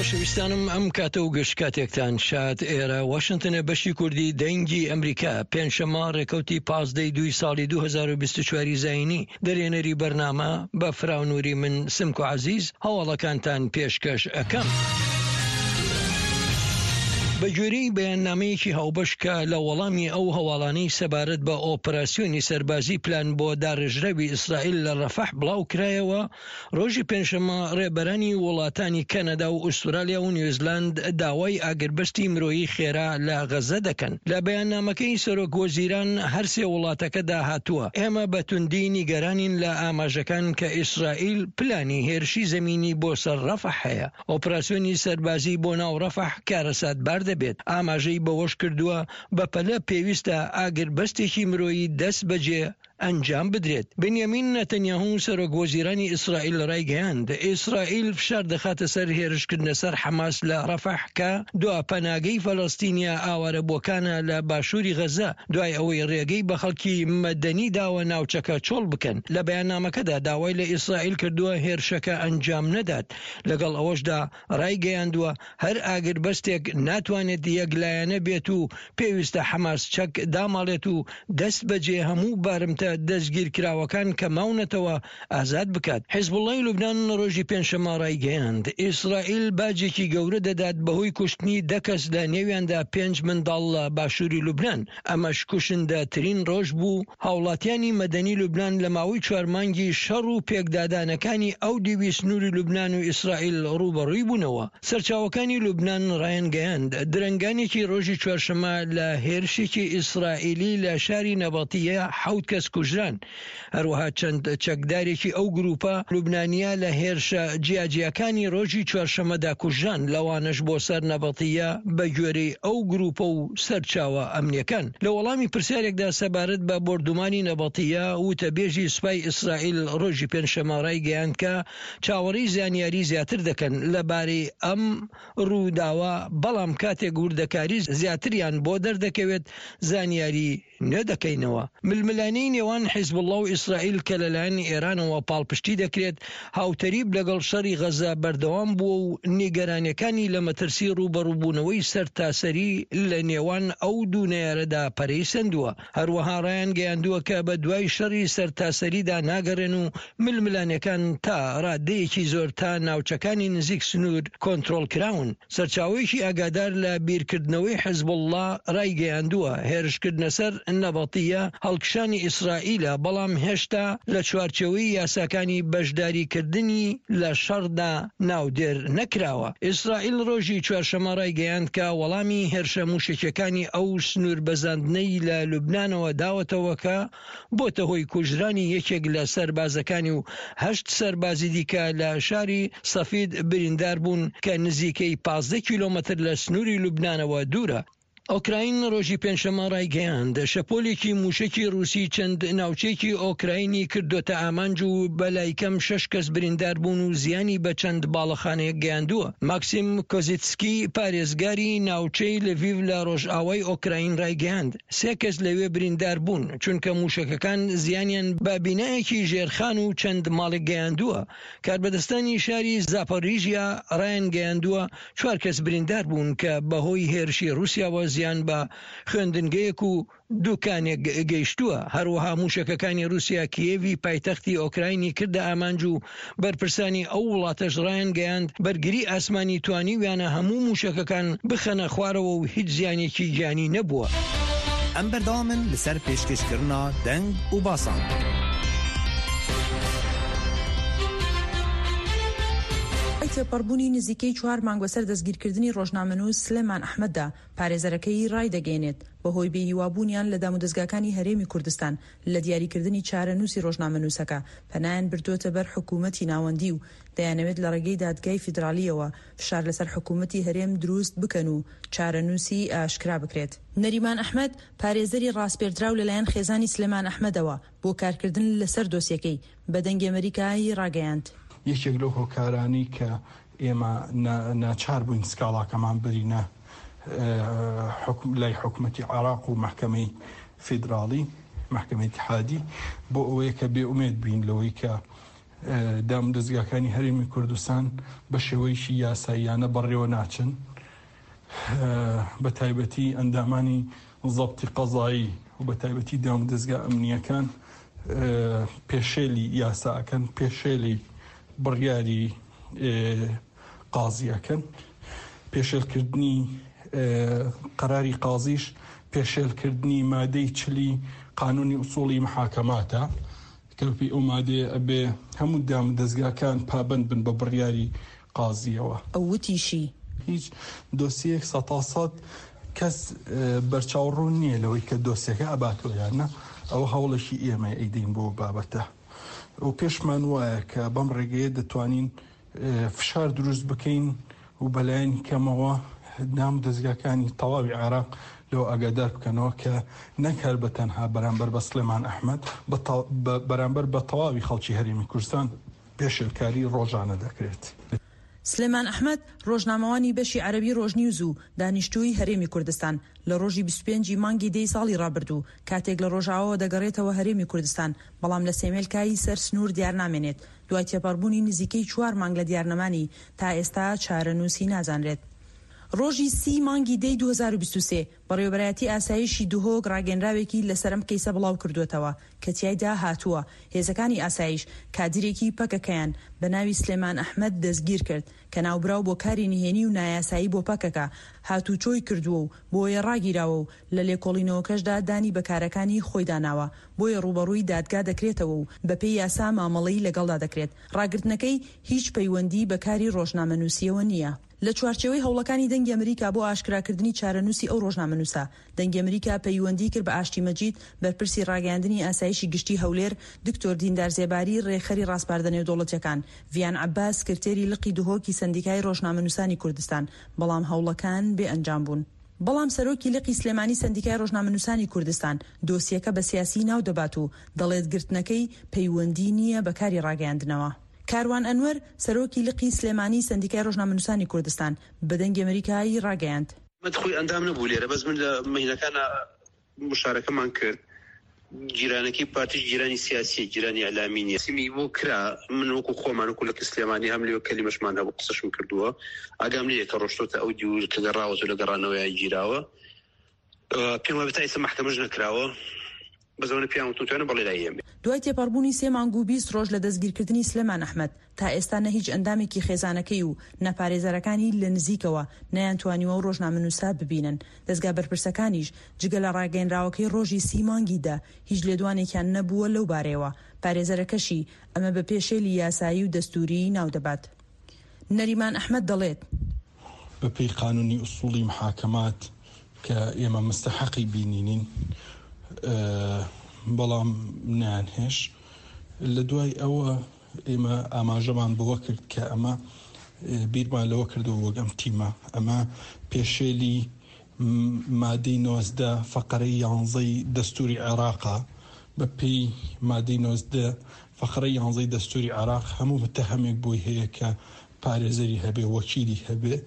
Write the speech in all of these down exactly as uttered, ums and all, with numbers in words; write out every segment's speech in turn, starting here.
خۆشەویستانم، ئەم کاتە و گشت کاتێکتان شاد. ئێرە واشنگتنە، بەشی کوردی دەنگی ئەمریکا. پێنجشەممە، ڕێکەوتی پازدەی دووی ساڵی دوو هەزار و بیست و چواری زایینی. دەرێنەری بەرنامە بە فراونوری من، سمکۆ عەزیز، هەواڵەکانتان پێشکەش ئەکەم. بە گوێرەی بەیاننامەیەکی هاوبەش کە لە وەڵامی ئەو هەواڵانەی سەبارەت بە ئۆپراسیۆنی سەربازی پلان بۆ داڕێژراوی ئیسرائیل لە ڕەفەح بڵاو کرایەوە، ڕۆژی پێنجشەممە ڕێبەرانی وڵاتانی کەنەدا و ئوسترالیا و نیوزیلاند داوای ئاگربەستی مرۆیی خێرا لە غەزە دەکەن. لە بەیاننامەکەی سەرۆک وەزیران هەر سێ وڵاتەکەدا هاتووە: ئێمە بە توندی نیگەرانین لە ئاماژەکان کە ئیسرائیل پلانی هێرشی زەمینی بۆ سەر ڕەفەح هەیە. ئۆپراسیۆنی سەربازی بۆ ناو ڕەفەح کارەساتبار دەبێت. ئاماژەی بەوەش کردووە، بە پەلە پێویستە ئاگربەستێکی مرۆیی دەست بەجێ ئەنجام بدرێت. بنیامین نەتەنیاهو، سەرۆک وەزیرانی ئیسرائیل، ڕایگەیاند، ئیسرائیل فشار دەخاتە سەر هێرشکردنە سەر حەماس لە ڕەفەح کە دوا پەناگەی فەلەستینیا ئاوارەبووەکانە لە باشووری غەزە، دوای ئەوەی ڕێگەی بە خەڵکی مەدەنی داوە ناوچەکە چۆڵ بکەن. لە بەیاننامەکەدا داوای لە ئیسرائیل کردووە هێرشەکە ئەنجام نەدات. لەگەڵ ئەوەشدا ڕایگەیاندووە، هەر ئاگربەستێک ناتوانێت یەکلایەنە بێت و پێویستە حەماس چەک داماڵێت و دەست بەجێ هەموو بارمتە دەستگیرکراوەکان کە ماونەتەوە ئازاد بکات. حیزبوڵڵای لوبنان ڕۆژی پێنجشەممە ڕایگەیاند، ئیسرائیل باجێکی گەورە دەدات بەهۆی کوشتنی دە کەس، لە نێویاندا پێنج منداڵ، لە باشووری لوبنان. ئەمەش کوشندەترین ڕۆژ بوو هاوڵاتیانی مەدەنی لوبنان لە ماوەی چوار مانگی شەڕ و پێکدادانەکانی ئەو دیوی سنووری لوبنان و ئیسرائیل ڕوبەڕووی بوونەوە. سەرچاوەکانی لوبنان ڕایانگەیاند، درەنگانێکی ڕۆژی چوارشەممە لە هێرشێکی ئیسرائیلی لە شاری نەبەتیە حەوت کەس کوژران. هەروەها چەند چەکدارێکی ئەو گروپە لوبنانیە لە هێرشە جیاجیاکانی ڕۆژی چوارشەممەدا کوژران، لەوانەش بۆ سەر نەبەتیە، بە گوێرەی ئەو گروپە و سەرچاوە ئەمنیەکان. لە وەڵامی پرسیارێکدا سەبارەت بە بۆردومانی نەبەتیە، وتەبێژی سوپای ئیسرائیل ڕۆژی پێنجشەممە ڕایگەیاند کە چاوەڕێی زانیاری زیاتر دەکەن لەبارەی ئەم ڕووداوە، بەڵام کاتێک وردەکاری زیاتریان بۆ دەردەکەوێت، زانیاری نوێ دەکەینەوە. ململانەی نێوان حیزبوڵڵا و ئیسرائیل کە لەلایەن ئێرانەوە پاڵپشتی دەکرێت، هاوتەریب لەگەڵ شەڕی غەزە بەردەوام بووە و نیگەرانیەکانی لە مەترسی ڕوبەڕووبوونەوەی سەرتاسەری لە نێوان ئەو دوو نەیارەدا پەرەی سەندووە. هەروەها ڕایان گەیاندووە کە بە دوای شەڕی سەرتاسەریدا ناگەڕێن و ململانەکان تا ڕادەیەکی زۆر تا ناوچەکانی نزیک سنوور کۆنترۆل کراون. سەرچاوەیەکی ئاگادار لە بیرکردنەوەی حیزبوڵڵا ڕایگەیاندووە، هێرشکردنە سەر نەبەتیە هەڵکشانی ئیسرائیلە، بەڵام هێشتا لە چوارچێوەی یاساکانی بەشداریکردنی لە شەڕدا ناودێر نەکراوە. ئیسرائیل ڕۆژی چوارشەممە ڕایگەیاند کە وەڵامی هێرشە موشەکیەکانی ئەو سنوور بەزاندنەی لە لوبنانەوە داوەتەوە کە بۆتە هۆی کوژرانی یەکێک لە سەربازەکانی و هەشت سەربازی دیکە لە شاری سەفید بریندار بوون کە نزیکەی پازدە کیلۆمەتر لە سنووری لوبنانەوە دوورە. ئۆکراین ڕۆژی پێنجشەممە ڕایگەیاند، شەپۆلێکی موشەکی ڕووسی چەند ناوچەیەکی ئۆکراینی کردوتە ئامانج و بەلای کەم شەش کەس بریندار بوون و زیانی بە چەند باڵەخانەیەک گەیاندووە. ماکسیم کۆزیتسکی، پارێزگاری ناوچەی لڤیڤ لە ڕۆژئاوای ئۆکراین، ڕایگەیاند، سێ کەس لەوێ بریندار بوون، چونکە موشەکەکان زیانیان بە بینایەکی ژێرخان و چەند ماڵێک گەیاندووە. کاربەدەستانی شاری زاپۆریژیا ڕایان گەیاندووە، چوار کەس بریندار بوون کە بەهۆی هێرشی رووسیاوە زیان بە خوێندنگەیەک و دوکانێک گەیشتووە. هەروەها موشەکەکانی رووسیا کیێوی پایتەختی ئۆکراینی کردە ئامانج و بەرپرسانی ئەو وڵاتەش ڕایان گەیاند، بەرگری ئاسمانی توانیویانە هەموو موشەکەکان بخەنە خوارەوە و هیچ زیانێکی گیانی نەبووە. ئەم بەردەوامن لەسەر پێشکەشکردنا دەنگ و باسان. تێپەڕبوونی نزیکەی چوار مانگ بەسەر دەستگیرکردنی ڕۆژنامەنووس سلێمان ئەحمەددا، پارێزەرەکەی ڕایدەگەیەنێت، بەهۆی بێهیوابوونیان لە دامودەزگاکانی هەرێمی کوردستان لە دیاریکردنی چارەنووسی ڕۆژنامەنووسەکە، پەنایان بردووەتە بەر حکوومەتی ناوەندی و دەیانەوێت لە ڕێگەی دادگای فیدراڵیەوە فشار لەسەر حکوومەتی هەرێم دروست بکەن و چارەنووسی ئاشکرا بکرێت. نەریمان ئەحمەد، پارێزەری ڕاستپێردراو لەلایەن خێزانی سلێمان ئەحمەدەوە بۆ کارکردن لەسەر دۆسیەکەی، بە دەنگی ئەمریکایی ڕاگەیاند. یەکێک لەو هۆکارانەی کە ئێمە نا-، ناچار بووین سکاڵاکەمان برینە، ئە، حکوم-، لای حکومەتی عێراق و مەحکەمەی فیدراڵی، مەحکەمەی ئیتیحادی، بۆ ئەوەیە کە بێ ئومێد بین لەوەی کە دام و دەزگاکانی هەرێمی کوردستان بە شێوەیەکی یاساییانە بەڕێوە ناچن. بە تایبەتی ئەندامانی زەبتی قەزایی و بە تایبەتی دام و دەزگا ئەمنیەکان پێشێلی یاساکەن، پێشێلی بڕیاری قازیەکەن، پێشێلکردنی قەراری قازیش پێشێلکردنی مادەی چلی قانونی ئوسوڵی محاکەماتە. کە بەپێی ئەو مادەیە ئەبێ هەموو دام و دەزگاکان پابەند بن بە بڕیاری قازیەوە. ئەو وتیشی. هیچ دۆسیەیەک سەد تا سەد کەس بەرچاوڕوون نییە لەوەی کە دۆسیەکە ئەباتەوە یان نە. ئەوە هەوڵێکی ئێمە ئەیدەین بۆ بابەتە و پێشمان وایە کە بەم ڕێگەیە دەتوانین فشار دروست بکەین و بەلایەنی کەمەوە دام و دەزگاکانی تەواوی عێراق لەوە ئاگادار بکەنەوە کە نەک هەر بە تەنها بەرامبەر بە سلێمان ئەحمەد، بە تە-، بە-، بەرامبەر بە تەواوی خەڵکی هەرێمی کوردستان پێشێلکاری ڕۆژانە دەکرێت. سلێمان ئەحمەد، ڕۆژنامەوانی بەشی عەرەبی ڕۆژنیوز و دانیشتووی هەرێمی کوردستان، لە ڕۆژی بیست و پێنجی مانگی دەی ساڵی ڕابردوو، کاتێک لە ڕۆژاواوە دەگەڕێتەوە هەرێمی کوردستان، بەڵام لە سێمێلکایی سەر سنوور دیار نامێنێت، دوای تێپەڕبوونی نزیکەی چوار مانگ لە دیارنەمانی، تا ئێستا چارەنووسی نازانرێت. ڕۆژی سی مانگی دەی دوو هەزار و بیست و سێ، بەڕێوەبەرایەتی ئاسایشی دهۆک ڕاگەنراوێکی لەسەر ئەم کەیسە بڵاو کردووەتەوە کە تیایدا هاتووە، هێزەکانی ئاسایش کادیرێکی پەکەکەیان بە ناوی سلێمان ئەحمەد دەستگیر کرد کە ناوبراو بۆ کاری نهێنی و نایاسایی بۆ پەکەکە هاتووچۆی کردووە و بۆیە ڕاگیراوە و لە لێکۆڵینەوەکەشدا دانی بە کارەکانی خۆی داناوە، بۆیە ڕوبەڕووی دادگا دەکرێتەوە و بەپێی یاسا مامەڵەی لەگەڵدا دەکرێت. ڕاگرتنەکەی هیچ پەیوەندی بە کاری ڕۆژنامەنووسیەوە نییە. لە چوارچێوەی هەوڵەکانی دەنگی ئەمریکا بۆ ئاشکراکردنی چارەنووسی ئەو ڕۆژنامەنووسە، دەنگی ئەمریکا پەیوەندی کرد بە ئاشتی مەجید، بەرپرسی ڕاگەیاندنی ئاسایشی گشتی هەولێر، دکتۆر دیندار زێباری، ڕێکخەری ڕاسپاردە نێودەوڵەتیەکان، ڤیان عەباس، سکرتێری لقی دهۆکی سەندیکای ڕۆژنامەنووسانی کوردستان، بەڵام هەوڵەکان بێ ئەنجام بوون. بەڵام سەرۆکی لقی سلێمانی سەندیکای ڕۆژنامەنووسانی کوردستان دۆسیەکە بە سیاسی ناو دەبات و دەڵێت گرتنەکەی پەیوەندی نییە بە کاری ڕاگەیاندنەوە. کاروان ئەنوەر، سەرۆکی لقی سلێمانی سەندیکای ڕۆژنامەنووسانی کوردستان، بە دەنگی ئەمریکایی ڕاگەیاند. من خۆی ئەندام نەبوو لێرە، بەس من لە مەینەکانە مشارەکەمان کرد. جیرانەکەی پارتیش جیرانی سیاسیە، جیرانی ئەلامی نیە. سیمی بۆ کرا، من وەکو خۆمان، وەکو لە سلێمانی هەم لێ کەلیمەشمان هەبوو، قسەشم کردووە. ئاگام لێ کە ڕۆشتۆتە ئەو دیور کە گەڕاوەتە لە گەڕانەوەیان گیراوە. ئە، پێم وابێت تا ئێستا مەحکەمەش نەکراوە. بەزەوەنە پیان وتوتوانە بەڵێ لای ئێمە. دوای تێپەڕبوونی سێ مانگ و بیست ڕۆژ لە دەستگیرکردنی سلێمان ئەحمەد، تا ئێستا نە هیچ ئەندامێکی خێزانەکەی و نە پارێزەرەکانی لە نزیکەوە نەیان توانیوە ئەو ڕۆژنامەنووسە ببینن. دەستگا بەرپرسەکانیش جگە لە ڕاگەیەنراوەکەی ڕۆژی سی مانگی دە، هیچ لێدوانێکیان نەبووە لەو بارەیەوە. پارێزەرەکەشی ئەمە بە پێشێلی یاسایی و دەستووری ناو دەبات. نەریمان ئەحمەد دەڵێت. بە پێی قانونی ئوسوڵی محاکەمات کە ئێمە مستەحەقی بینینین، ئە، بەڵام نەیانهێش. لە دوای ئەوە ئێمە ئاماژەمان بەوە کرد کە ئەمە، ئە، بیرمان لەوە کردەوە وەک ئەم تیمە. ئەمە پێشێلی م-، مادەی نۆزدە فەقەرەی یانزەی دەستوری عێراقە. بە پێی مادەی نۆزدە فەقەرەی یانزەی دەستوری عێراق هەموو متەهەمێک بۆی هەیە کە پارێزەری هەبێ، وەکیلی هەبێ.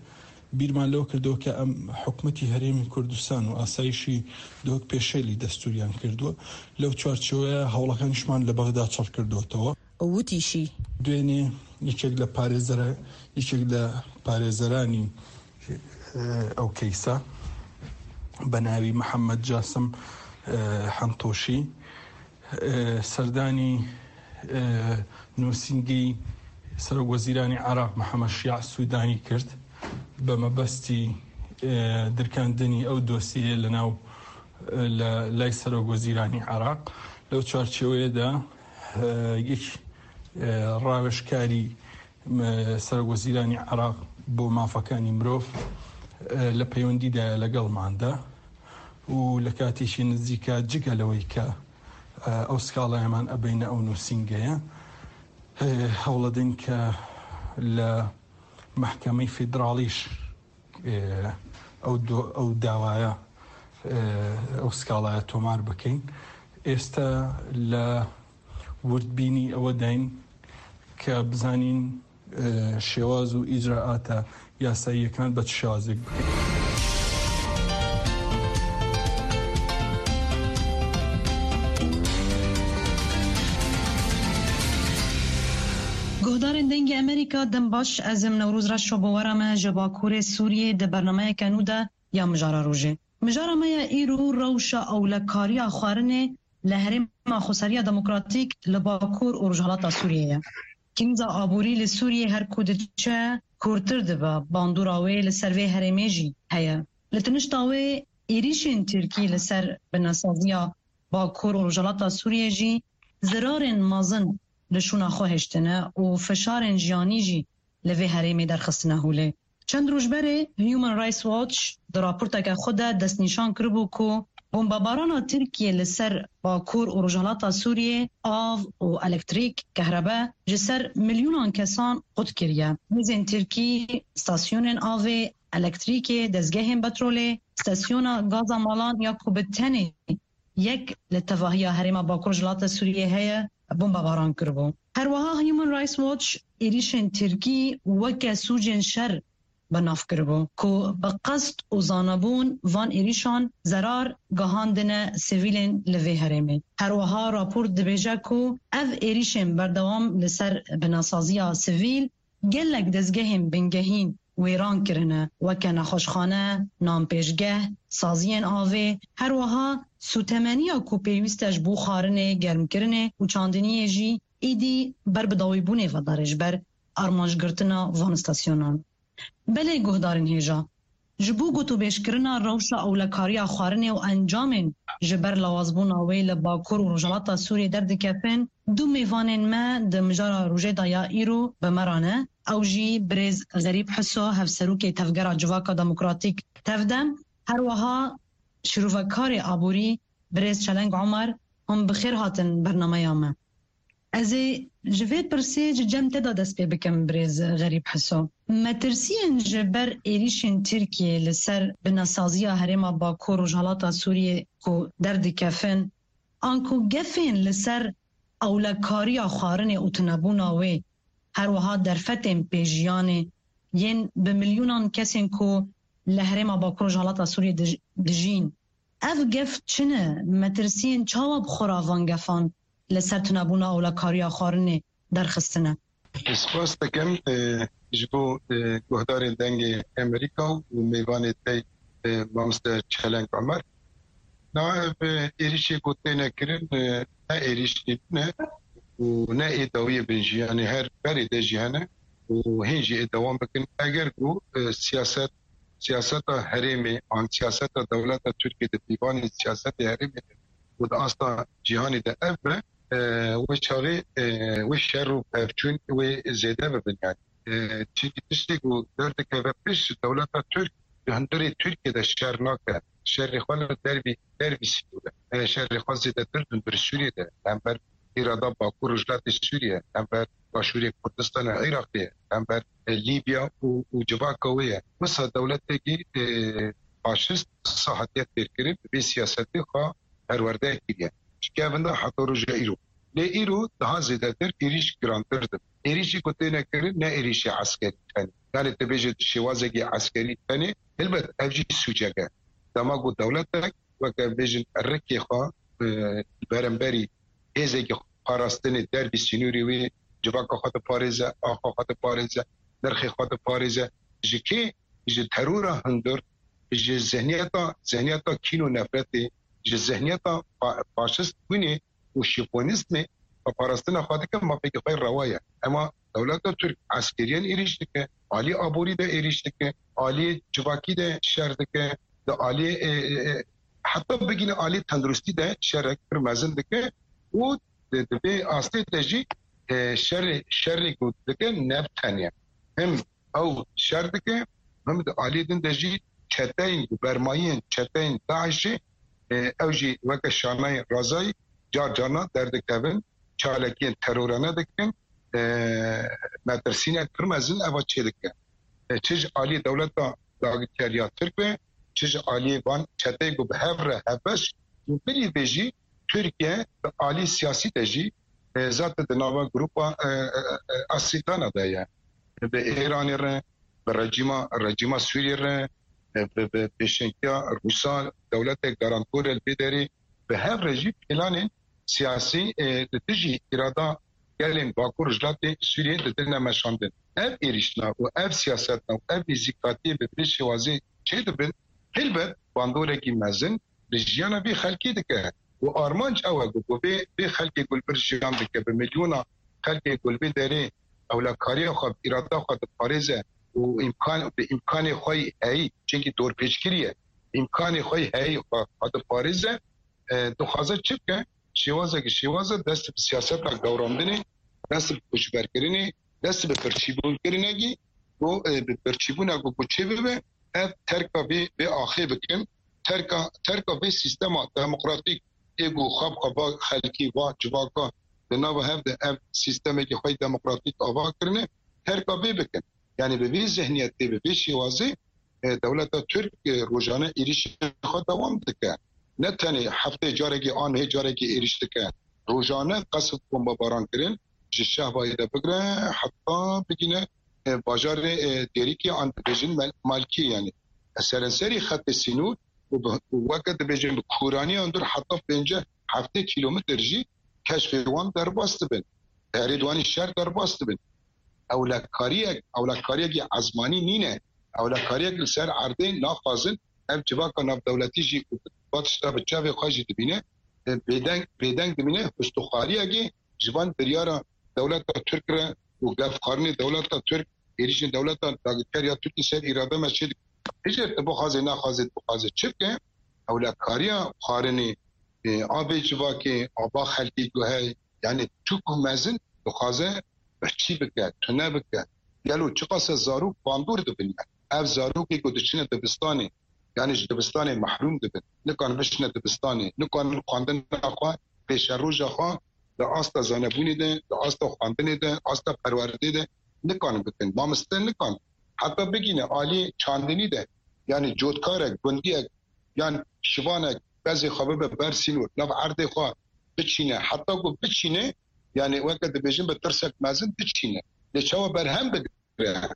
بیرمان لەوە کردەوە کە ئەم حکومەتی هەرێمی کوردستان و ئاسایشی دۆک پێشێلی دەستوریان کردووە. لەو چوارچێوەیە هەوڵەکانیشمان لە بەغدا چڕ کردوتەوە. ئەو وتیشی. دوێنێ یەکێک لە پارێزەرە-، یەکێک لە پارێزەرانی، ئە، ئەو کەیسە بە ناوی محەممەد جاسم، ئە، حەنتۆشی، ئە، سەردانی، ئە، نووسینگەی سەرۆک وەزیرانی عێراق محەممەد شیاع سوودانی کرد بە مەبەستی، ئە، درکاندنی ئەو دۆسیە لە ناو، ئە، لە لای سەرۆک وەزیرانی عێراق. لەو چوارچێوەیەدا، ئە، یەک، ئە، ڕاوێژکاری، ئە، سەرۆک وەزیرانی عێراق بۆ مافەکانی مرۆڤ، ئە، لە پەیوەندیدایە لەگەڵماندا و لە کاتێکی نزیکە جگە لەوەی کە، ئە، ئەو سکاڵایەمان ئەبینە ئەو نووسینگەیە، ئە، هەوڵەدەین کە لە مەحکەمەی فیدراڵیش، ئێ، ئەو دۆ-، ئەو داوایە، ئێ، ئەو سکاڵایە تۆمار بکەین. ئێستا لە وردبینی ئەوە داین کە بزانین، ئێ، شێواز و ئیجرائاتە یاساییەکان بە چ شێوازێک بکەین. Guhdarên Dengê Amerîka, dem baş, ez im Newroz Reşo, bi we re me ji Bakurê Sûriyê di bernameyeke nû de ya Mijara Rojê. Mijara me ya îro rewşa ewlekariya xwarinê li Herêma Xweseriya Demokratîk li Bakur û Rojhilata Sûriyê ye. Krîza aborî li Sûriyê her ku diçe kûrtir dibe, bandora wê li ser vê herêmê jî heye. Li tinişta wê êrîşên Tirkî li ser binesaziya Bakur û Rojhilata Sûriyê jî zirarên mezin li şûna xwe hiştine û fişarên jiyanî jî li vê herêmê derxistine holê. Çend roj berê Human Rights Watch di raporteke xwe de destnîşan kiribû ku bombebarana Tirkiyê li ser Bakur û Rojhilata Sûriyê av û elektrîk, kehrebe, ji ser milyonan kesan qut kiriye. Hêzên Tirkî stasyonên avê, elektrîkê, dezgehên petrolê, stasyona gaza malan ya ku bi tenê yek li tevahiya herêma Bakur Rojhilata Sûriyê heye, bombebaran kiribû. Her wiha Human Rights Watch êrîşên Tirkî weke sûcên şer bi nav kiribû, ku bi qest û zanebûn van êrîşan zerar gihandine sivîlên li vê herêmê. Her wiha rapor dibêje ku ev êrîşên berdewam li ser binesaziya sivîl gelek dezgehên bingehîn wêran kirine, weke nexweşxane, nanpêşgeh, saziyên avê, her wiha sûtemeniya ku pêwîst e ji bo xwarinê, germkirinê û çandiniyê jî êdî ber bi dawîbûnê ve dare ji ber armancgirtina van stasyonan. Belê guhdarên hêja, ji bo gotûbêjkirina rewşa ewlekariya xwarinê û encamên ji ber lawazbûna wê li Bakur û Rojhilata Sûriyê derdikevin, du mêvanên me di mijara rojê de ya îro bi me re ne. Ew jî birêz Xerîb Hiso, hevserokê Tevgera Civaka Demokratîk, Tevdem, her wiha şîrovekarê aborî birêz Çeleng Omer, hûn bi xêr hatin bernameya me. Ez ê ji vê pirsê ji cem te de dest pê bikim, birêz Xerîb Hiso. Metirsiyên ji ber êrîşên Tirkiyê li ser binesaziya herêma Bakur Rojhilata Sûriyê ku derdikevin, anku gefên li ser ewlekariya xwarinê û tunebûna wê, her wiha derfetên pêjiyanê yên bi milyonan kesên ku li herêma Bakur Rojhilata Sûriyê dij-, dijîn. Ev gef çi ne? Metirsiyên çawa bi xwe re van gefan li ser tunebûna ewlekariya xwarinê derxistine? Spas dikim, e, ji bo, e, guhdarên Dengê Amerîka û mêvanê te, e, Mamoste Çeleng Omer. Na ev, e, êrîşê ku têne kirin, e, ne êrîşî ne û ne ê dawiyê bin jî, yanî her berê de jî hene û hîn jî ê dewam bikin. Eger ku, e, siyaset, siyaseta herêmê an siyaseta dewleta Tirkiyê di pîvanê siyasetê herêmê de û di asta cîhanê de ev be, e, wê çaxê, e, wê şer û pevçûn wê zêde bibin yanî. E, çimkî tiştê ku derdikeve pişt, dewleta Tirk di hundirê Tirkiyê de şer nake. Şerê xwe li dervî, dervî sînor e. E, şerê xwe zêdetir di hundirê Sûriyê de, hember îrada Bakur Rojhilatê Sûriyê, hember Başûrê Kurdistanê Iraqê, hember, e, Lîbya û, û civaka wê ye. Wisa dewletekî, e, faşist wisa hatiye fêrkirin, bi vê siyasetê xwe perwerde kiriye. Ji kevin de heta roja îro. Lê îro daha zêdetir êrîş girantir dibe. Êrîşî ku têne kirin ne êrîşê eskerî tenê. Yanî tu bêje di şêwazekî eskerî tenê, helbet ev jî sûcek e. Dema ku dewletek weke bêjin rikê xwe, e, beramberî hêzekî parastinê dervî sînorê wê civaka xwe diparêze, axa xwe diparêze, nirxê xwe diparêze. Ji kê? Ji terora hundir, ji zihniyeta, zihniyeta kîn û nefretê, ji zihniyeta fa-, faşist bûnê û şîfonîzmê xwe parastina xwe dike, mafekî xwe rewa ye. Ema dewleta Tirk eskeriyan êrîş dike, alî aborî de êrîş dike, alî civakî de şer dike, di alî, e, e, e, heta bigîne alî tenduristî de şerek pir mezin dike û di, di vê astê de jî, e, şerê, şerê ku dike ne bi tenê. Him ew şer dike, him di alî din de jî çeteyên ku bermayiyên çeteyên DAIŞê, e, ew jî weke şanayên razayî car carna derdikevin, çalakiyên terorane dikin, e, metirsînek pir mezin eva çêdike. E, çi ji alî dewleta dagirkeriya Tirk be, çi ji alî van çeteyê ku bi hev re hevbeş û bilî vê jî Tirkiye bi alî siyasî de jî, e, zaten di nava grupa, e, e, e, Asîtana de ye. Bi Îranê re, bi rejîma, rejîma Sûriyê re, e, bi, bi pêşengiya Rûsa, dewletek garantor e li vê derê, bi hev re jî planên siyasî, e, li dijî îrada gelên Bakur Rojhilatê Sûriyê didine meşandin. Ev êrîşna û ev siyasetna û ev nêzîkatiyê bi vê şêwazê çêdibin, helbet bandorekî mezin li jiyana vê xelkê dike. Û armanc ew e ku, ku vê, vê xelkê ku li vir jiyan dike, bi milyona xelkê ku li vê derê ewlakariya xwe, îrada xwe diparêze û îmkan, bi îmkanê xwe yî heyî, çimkî dorpêçkirî ye, îmkanê xwe yî heyî xwe, xwe diparêze, e, dixwaze çi bike? Şêwazeke şêwaz e, dest bi siyaseta gewrandinê, dest bi koçberkirinê, dest bi birçîbûnkirinekî, ku, e, bi birçîbûna ku, ku çê bibe, ev terka vê, vê axê bikin, terka, terka vê sîstema demokratîk ê ku xwe bi xwe va xelkî, va civaka di nava hev de ev sîstemekî xwe yî demokratîk ava kirine, terka vê bikin. Yanî bi vê zihniyetê, bi vê şêwazê, e, dewleta Tirk, e, rojane êrîşê xwe dewam dike. Ne tenê heftê carekê an hê carekê êrîş dike. Rojane qesf bombebaran kirin, ji Şehbayê de bigire heta bigîne, e, bajarê, e, Dêrikê an dibêjin Mal-, Malkî, yanî serenserî xetê sînor û bi, û weke dibêjin bi kûraniya hundir heta pêncî heftê kîlometr jî keşfê wan derbas dibin. Herê di wanî şer derbas dibin. Ewlekariyek, ewlekariyekî ezmanî nîne. Ewlekariyek li ser erdê naxwazin. Ev civaka navdewletî jî ku va tişta bi çavê xwe jî dibîne, e, bêdeng, bêdeng dibîne, hustûxariyekê ji van biryara dewleta Tirk re û gefxwarinê dewleta Tirk, êrîşên dewleta dagirker ya Tirkî ser îrada me çê dike. Hijê tu bixwazê, naxwazê, bixwazê çi bike? Ewlekariya xwarinê, e, a vê civakê, a va xelkê ku heye, yanî çi ku mezin dixwaze birçî bike, tune bike. Gelo çiqas e zarok bandor dibin me? Ev zarokê ku diçine dibistanê, yanî ji dibistanê mehrûm dibin. Nikarin biçine dibistanê, nikarin xwendina xwe, pêşeroja xwe di asta zanebûnê de, di asta xwendinê de, asta perwerdê de nikarin bikin. Mamoste nikan heta bigîne alî çandinî de, yanî cotkarek, gundiyek, yan şivanek bezê xwe bibe ber sînor, nav erdê xwe biçîne, heta ku biçîne, yanî weke dibêjin bi tirsek mezin biçîne. Lê çawa berhem bigire?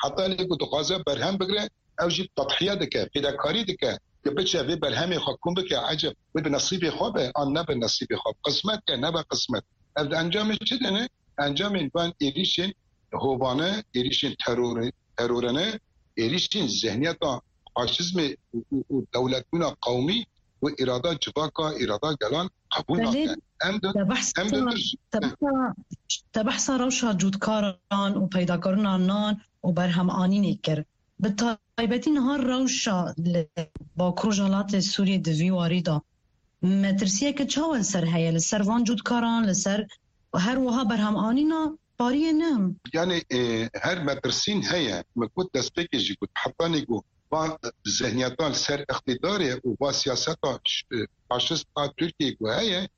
Heta lê ku dixwaze berhem bigire, ew jî tedhiye dike, fêdekarî dike, ku biçe vê berhemê xwe kom bike, eceb wê bi nesîbê xwe be, an nebe nesîbê xwe, qismet ke, nebe qismet. Ev di encamê çi dene? Encamên van êrîşên hovane, êrîşên terorê, terorene, êrîşên zihniyeta faşizmê û, û, û dewletbûna qewmî û îrada civaka, îrada gelan qebûl Belê, nake. Em di, te behsa, em di te behsa, te behsa rewşa cûtkaran û peydakarina nan û berhem anînê kir. Bi taybetî niha rewşa li Bakur Rojhilatê Sûriyê di vî warî de metirsiyeke çawa li ser heye? Li ser van cûtkaran, li ser her wiha berhem anîna pariyê ne? Yanî, e, her metirsîn heye. Min got destpêkê jî got, hetanî ku va zihniyetan li ser îqtîdarê û va siyaseta ş-, e, faşist a Tirkiyê ku heye,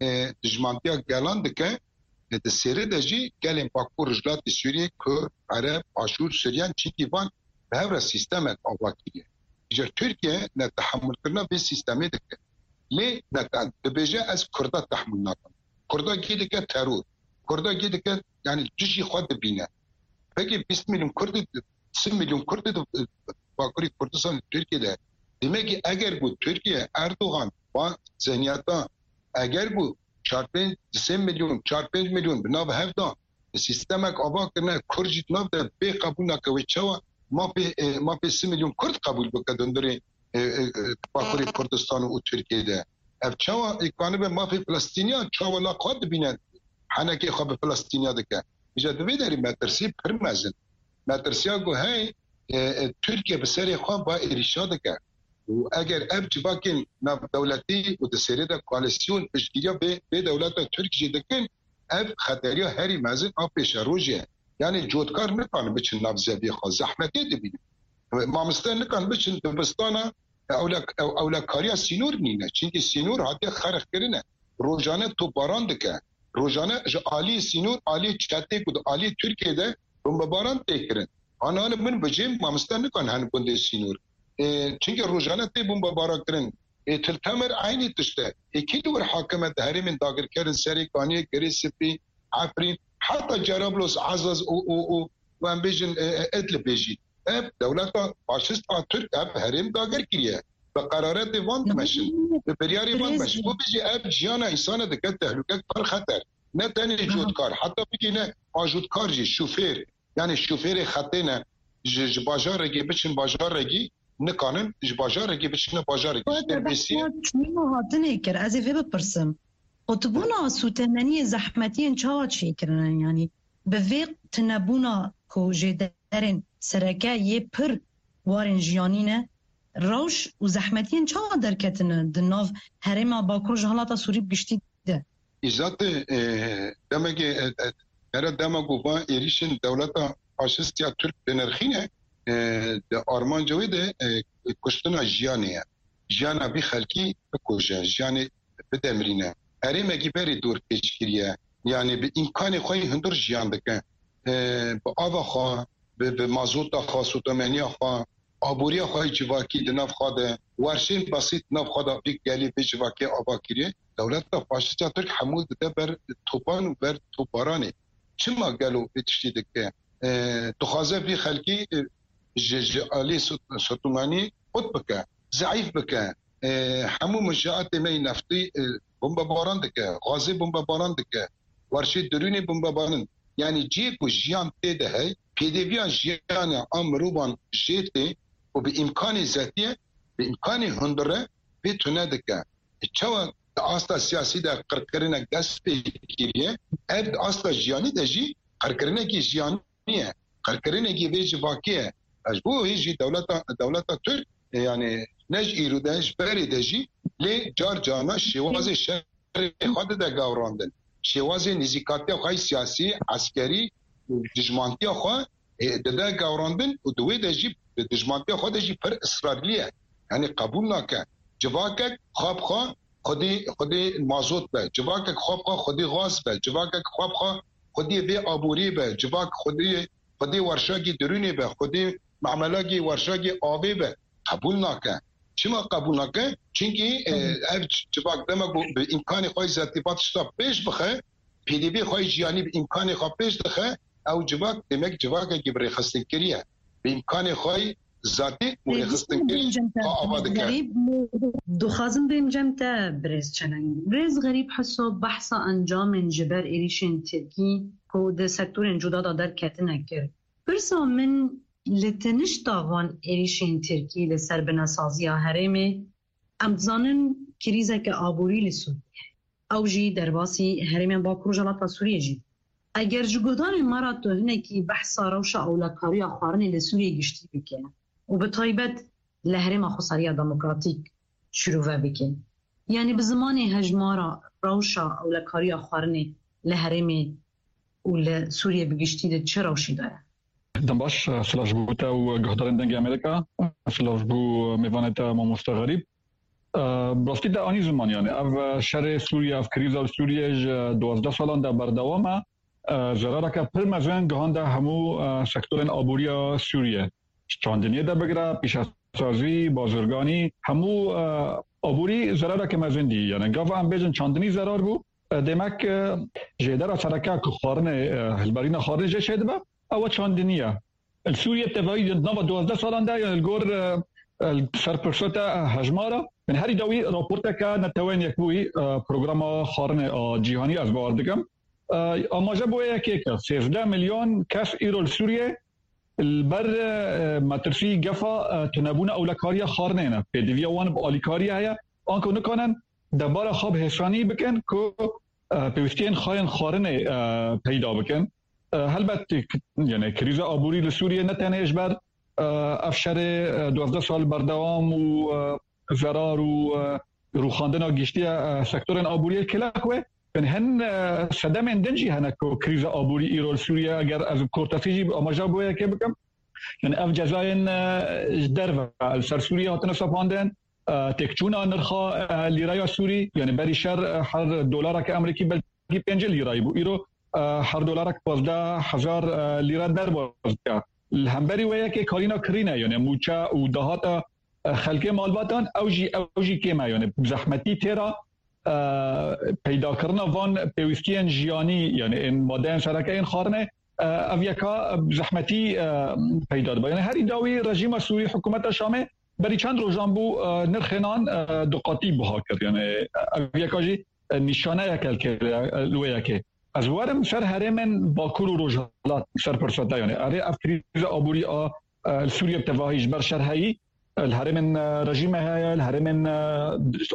e, dijmantiya gelan dike, e, di sêrê de jî gelên Bakur Rojhilatê Sûriyê, Kurd, Ereb, Aşûr, Suryan, çimkî van bi hev re sîstemek ava kiriye. Îcar Tirkiye ne tehemûlkirina vê sîstemê dike. Lê ne te-, dibêje ez Kurda tehemûl nakim. Kurda kê dike teror. Kurda kê dike, yanî dijî xwe dibîne. Peki bîst milyon Kurdî, sî milyon Kurdî di Bakurê Kurdistan Tirkiye de. Demek ki eger ku Tirkiye, Erdogan, van zihniyeta, eger ku çar pênc, sê milyon, çar pênc milyon bi nav hev da, sîstemek ava kirine, Kurd jî di nav de bê qebûl nake, wê çawa mafê, e, mafê sî milyon Kurd qebûl bike di hundirê, e, e, e, Bakurê Kurdistan û Tirkiye de? Ev çawa îmkanî be mafê Filistîniyan, çawa la xwe dibîne, henekê xwe bi Filistîniya dike? Îca di vê derî metirsî pir mezin. Metirsiya ku hey, e, e, Tirkiye bi serê xwe va êrîşa dike. Û eger ev civakên navdewletî û di sêrê de koalîsyon piştgiriya vê, vê dewleta Tirk jî dikin, ev xeteriya herî mezin a pêşerojê ye. Yanî cotkar nikarin biçin nav zeviyê xwe, zehmetê dibînin. Mamoste nikan biçin dibistana, ewle-, ew-, ewlekariya sînor nîne. Çimkî sînor hatiye xerxkirine. Rojane topbaran dike. Rojane ji aliyê sînor, aliyê çetê ku di aliyê Tirkiye de bombebaran tê kirin. Ana, ana min bi cem mamoste nikan hen gundê sînor. E, çimkî rojane tê bombebaran kirin. E, Til Temer eynî tişt e. E, kî li wir hakim e di herêmên dagirkerin Serê Kaniyê, Girê Spî, Efrîn, heta Cerablos, Ezaz û, û, û, û em bêjin, e, e, Idlibê jî. Ev dewleta faşist a Tirk ev herêm dagir kiriye. Bi qeraretê van dimeşin. Bi biryarê van dimeşin. Birêz, bu bijî ev jiyana însana dike tehlûkek pir xeter. Ne tenê cotkar, heta bigîne ajotkar jî, şofêr. Yani şofêrê xetê ne, ji, ji bajarekê biçin bajarekî, nikanin ji bajarekê biçine bajarekê. Ji Dêrbêsiyê. Çûyîn û hatinê kir. Ez ê vê bipirsim. Qutbûna sûtemeniyê zehmetiyên çawa çêkirine? Yani bi vê tunebûna ku jêderên sereke yê pir warên jiyanî ne, rewş û zehmetiyên çawa derketine di nav herêma Bakur ji Rojhilata Sûrî bi giştî de? Îzatê, e, demekê, e, e, here dema ku van êrîşên dewleta faşist ya Tirk dinirxîne, e, di armanca wê de, e, kuştina jiyanê ye. Jiyana vî xelkî bikuje, jiyanê bidemirîne. Herêmekî berê dor pêç kiriye. Yani bi îmkanê xwe yê hundir jiyan dike. E, bi ava xwe, bi, bi mazota xwe, sotemeniya xwe, aboriya xwe yê civakî di nav xwe de, werşên besît di nav xwe de vî gelî vê civakê ava kiriye. Dewleta faşîst ya Tirk hemû dide ber topan û ber topbaranê. Çima gelo vê tiştî dike? E, dixwaze vî xelkî, e, ji, ji alî sot-, sotemenî qut bike, zeîf bike. E, hemû mijaatê me yê neftî, e, bombebaran dike, gazê bombebaran dike, werşê derûnê bombebaran. Yani cihê ku jiyan tê de hey, pêdiviya jiyana a mirovan jê tê û bi îmkanê zetiye, bi îmkanê hundire vê tune dike. E, çawa di asta siyasî de qirkirinek dest pê kiriye, ev di asta jiyanî de jî qirkirinekî jiyanî ye. Qirkirinekî vê civakê ye. Ji bo wê jî dewleta, dewleta Tirk, e, yani ne ji îro de, ji berê de jî lê car carna şêwazê şerê xwe dide gewrandin. Şêwazê nêzîkatiya xwe yê siyasî, eskerî û dijmantiya xwe, e, dide gewrandin û di wê de jî, di dijmantiya xwe de jî pir israrlî ye. Yani qebûl nake. Civakek xwe bi xwe xwedî, xwedî mazot be, civakek xwe bi xwe xwedî gaz be, civakek xwe bi xwe xwedî vê aborî be, civak xwedî, xwedî werşakî dirûnê be, xwedî memelakî werşakî avê be, qebûl nake. Çima qebûl nake? Çimkî, e, ev civak dema ku bi îmkanê xwe yê zetî va tişta pêş bixe, pêdivê xwe yê jiyanî bi îmkanê xwe pêş dixe, ew civak demek civakekî bi rêxistinkirî ye. Bi îmkanê xwe yê zatî û rêxistinkirî xwe ava dike. Dixwazim bêm cem te birêz Çeleng. Birêz Xerîb Hiso, behsa encamên ji ber êrîşên Tirkî ku di sektorên cuda de derketine kir. Pirsa min, li tenişta van êrîşên Tirkî li ser binesaziya herêmê, em dizanin krîzeke aborî li Sûriyê heye. Ew jî derbasî herêmên Bakur Rojhilata Sûriyê jî bû. Eger ji guhdarên me re tu hinekî behsa rewşa ewlekariya xwarinê li Sûriyê giştî bike û bi taybet li Herêma Xweseriya Demokratîk şîrove bike, yanî bi zimanê hejmara rewşa ewlekariya xwarinê li herêmê û li Sûriyê bi giştî di çi rewşî de ye? Dem baş, silav ji bo te û guhdarên Dengê Amerîka, silav ji bo mêvanê te mamoste Xerîb. Bi rastî te anî ziman, yani ev şerê Sûriye, ev krîza li Sûriye ji duwazdeh salan de berdewam e. Zerareke pir mezin gihande hemû sektorên aboriya Sûriye. Çandiniyê de bigire, pîşesazî, bazirganî, hemû aborî zerareke mezin dî. Yani gava em bêjin çandinî zerar bû, demek jêdera sereke ku xwarinê, hilberîna xwarinê jê çêdibe, ew çandinî ye. Li Sûriye bi tevahî di nava duwazdeh salan de, yani li gor, e, e, serpirsota, e, hejmara, yani herî dawî raporteke Neteweyên Yekbûyî, e, programa xwarinê a cîhanî ez bawer dikim. E, amaje bo yekê ke sêzdeh milyon kes îro li Sûriye li ber, e, metirsî gefa, e, tunebûna ewlekariya xwarinê ne. Pêdiviya wan bi alîkariyê heye, anku nikanin debara xwe bi hêsanî bikin ku, e, pêwîstiyên xwe yên xwarinê, e, peyda bikin. E, helbet, k-, yani krîza aborî li Sûriyê ne tenê ji ber, e, ev şerê, e, duwazdeh sal berdewam û, e, zerar û, e, rûxandina giştiya, e, sektorên aboriyê kile xwe. Yani hin, e, sedemên din jî hene ku krîza aborî îro li Sûriyê, eger ez bi kortesî jî amaja bo yekê bikim. Yani ev cezayên, e, ji derve li ser Sûriyê hatine sepandin. E, têkçûna nirxa, e, lîreya Sûrî, yani berî şer, e, her dolareke Amerîkî belkî pêncî lîrayî bû. Îro, e, her dolarek pazdeh hezar, e, lîre derbas dike. Li hemberî wê yekê karîna kirîne, yani mûçe û dahata, e, xelkê malbatan, ew jî, ew jî kêm e, yani bi zehmetî têra, e, peydakirina van pêwîstiyên jiyanî, yani ên madeyên sereke ên xwarinê, e, ev yeka bi zehmetî, e, peyda dibe. Yani herî dawî rejîma Sûrî, hikûmeta Şamê berî çend rojan bû, e, nirxê nan, e, du qatî buha kir. Yani, e, ev yeka jî, e, nîşaneyeke li kê-, li wê yekê. Ez werim ser herêmên Bakur û Rojhilat, ser pirsa te, yanî erê ev krîza aborî a, e, li Sûriye bi tevahî ji ber şer heyî, e, li herêmên, e, rejîmê heye, li herêmên, e,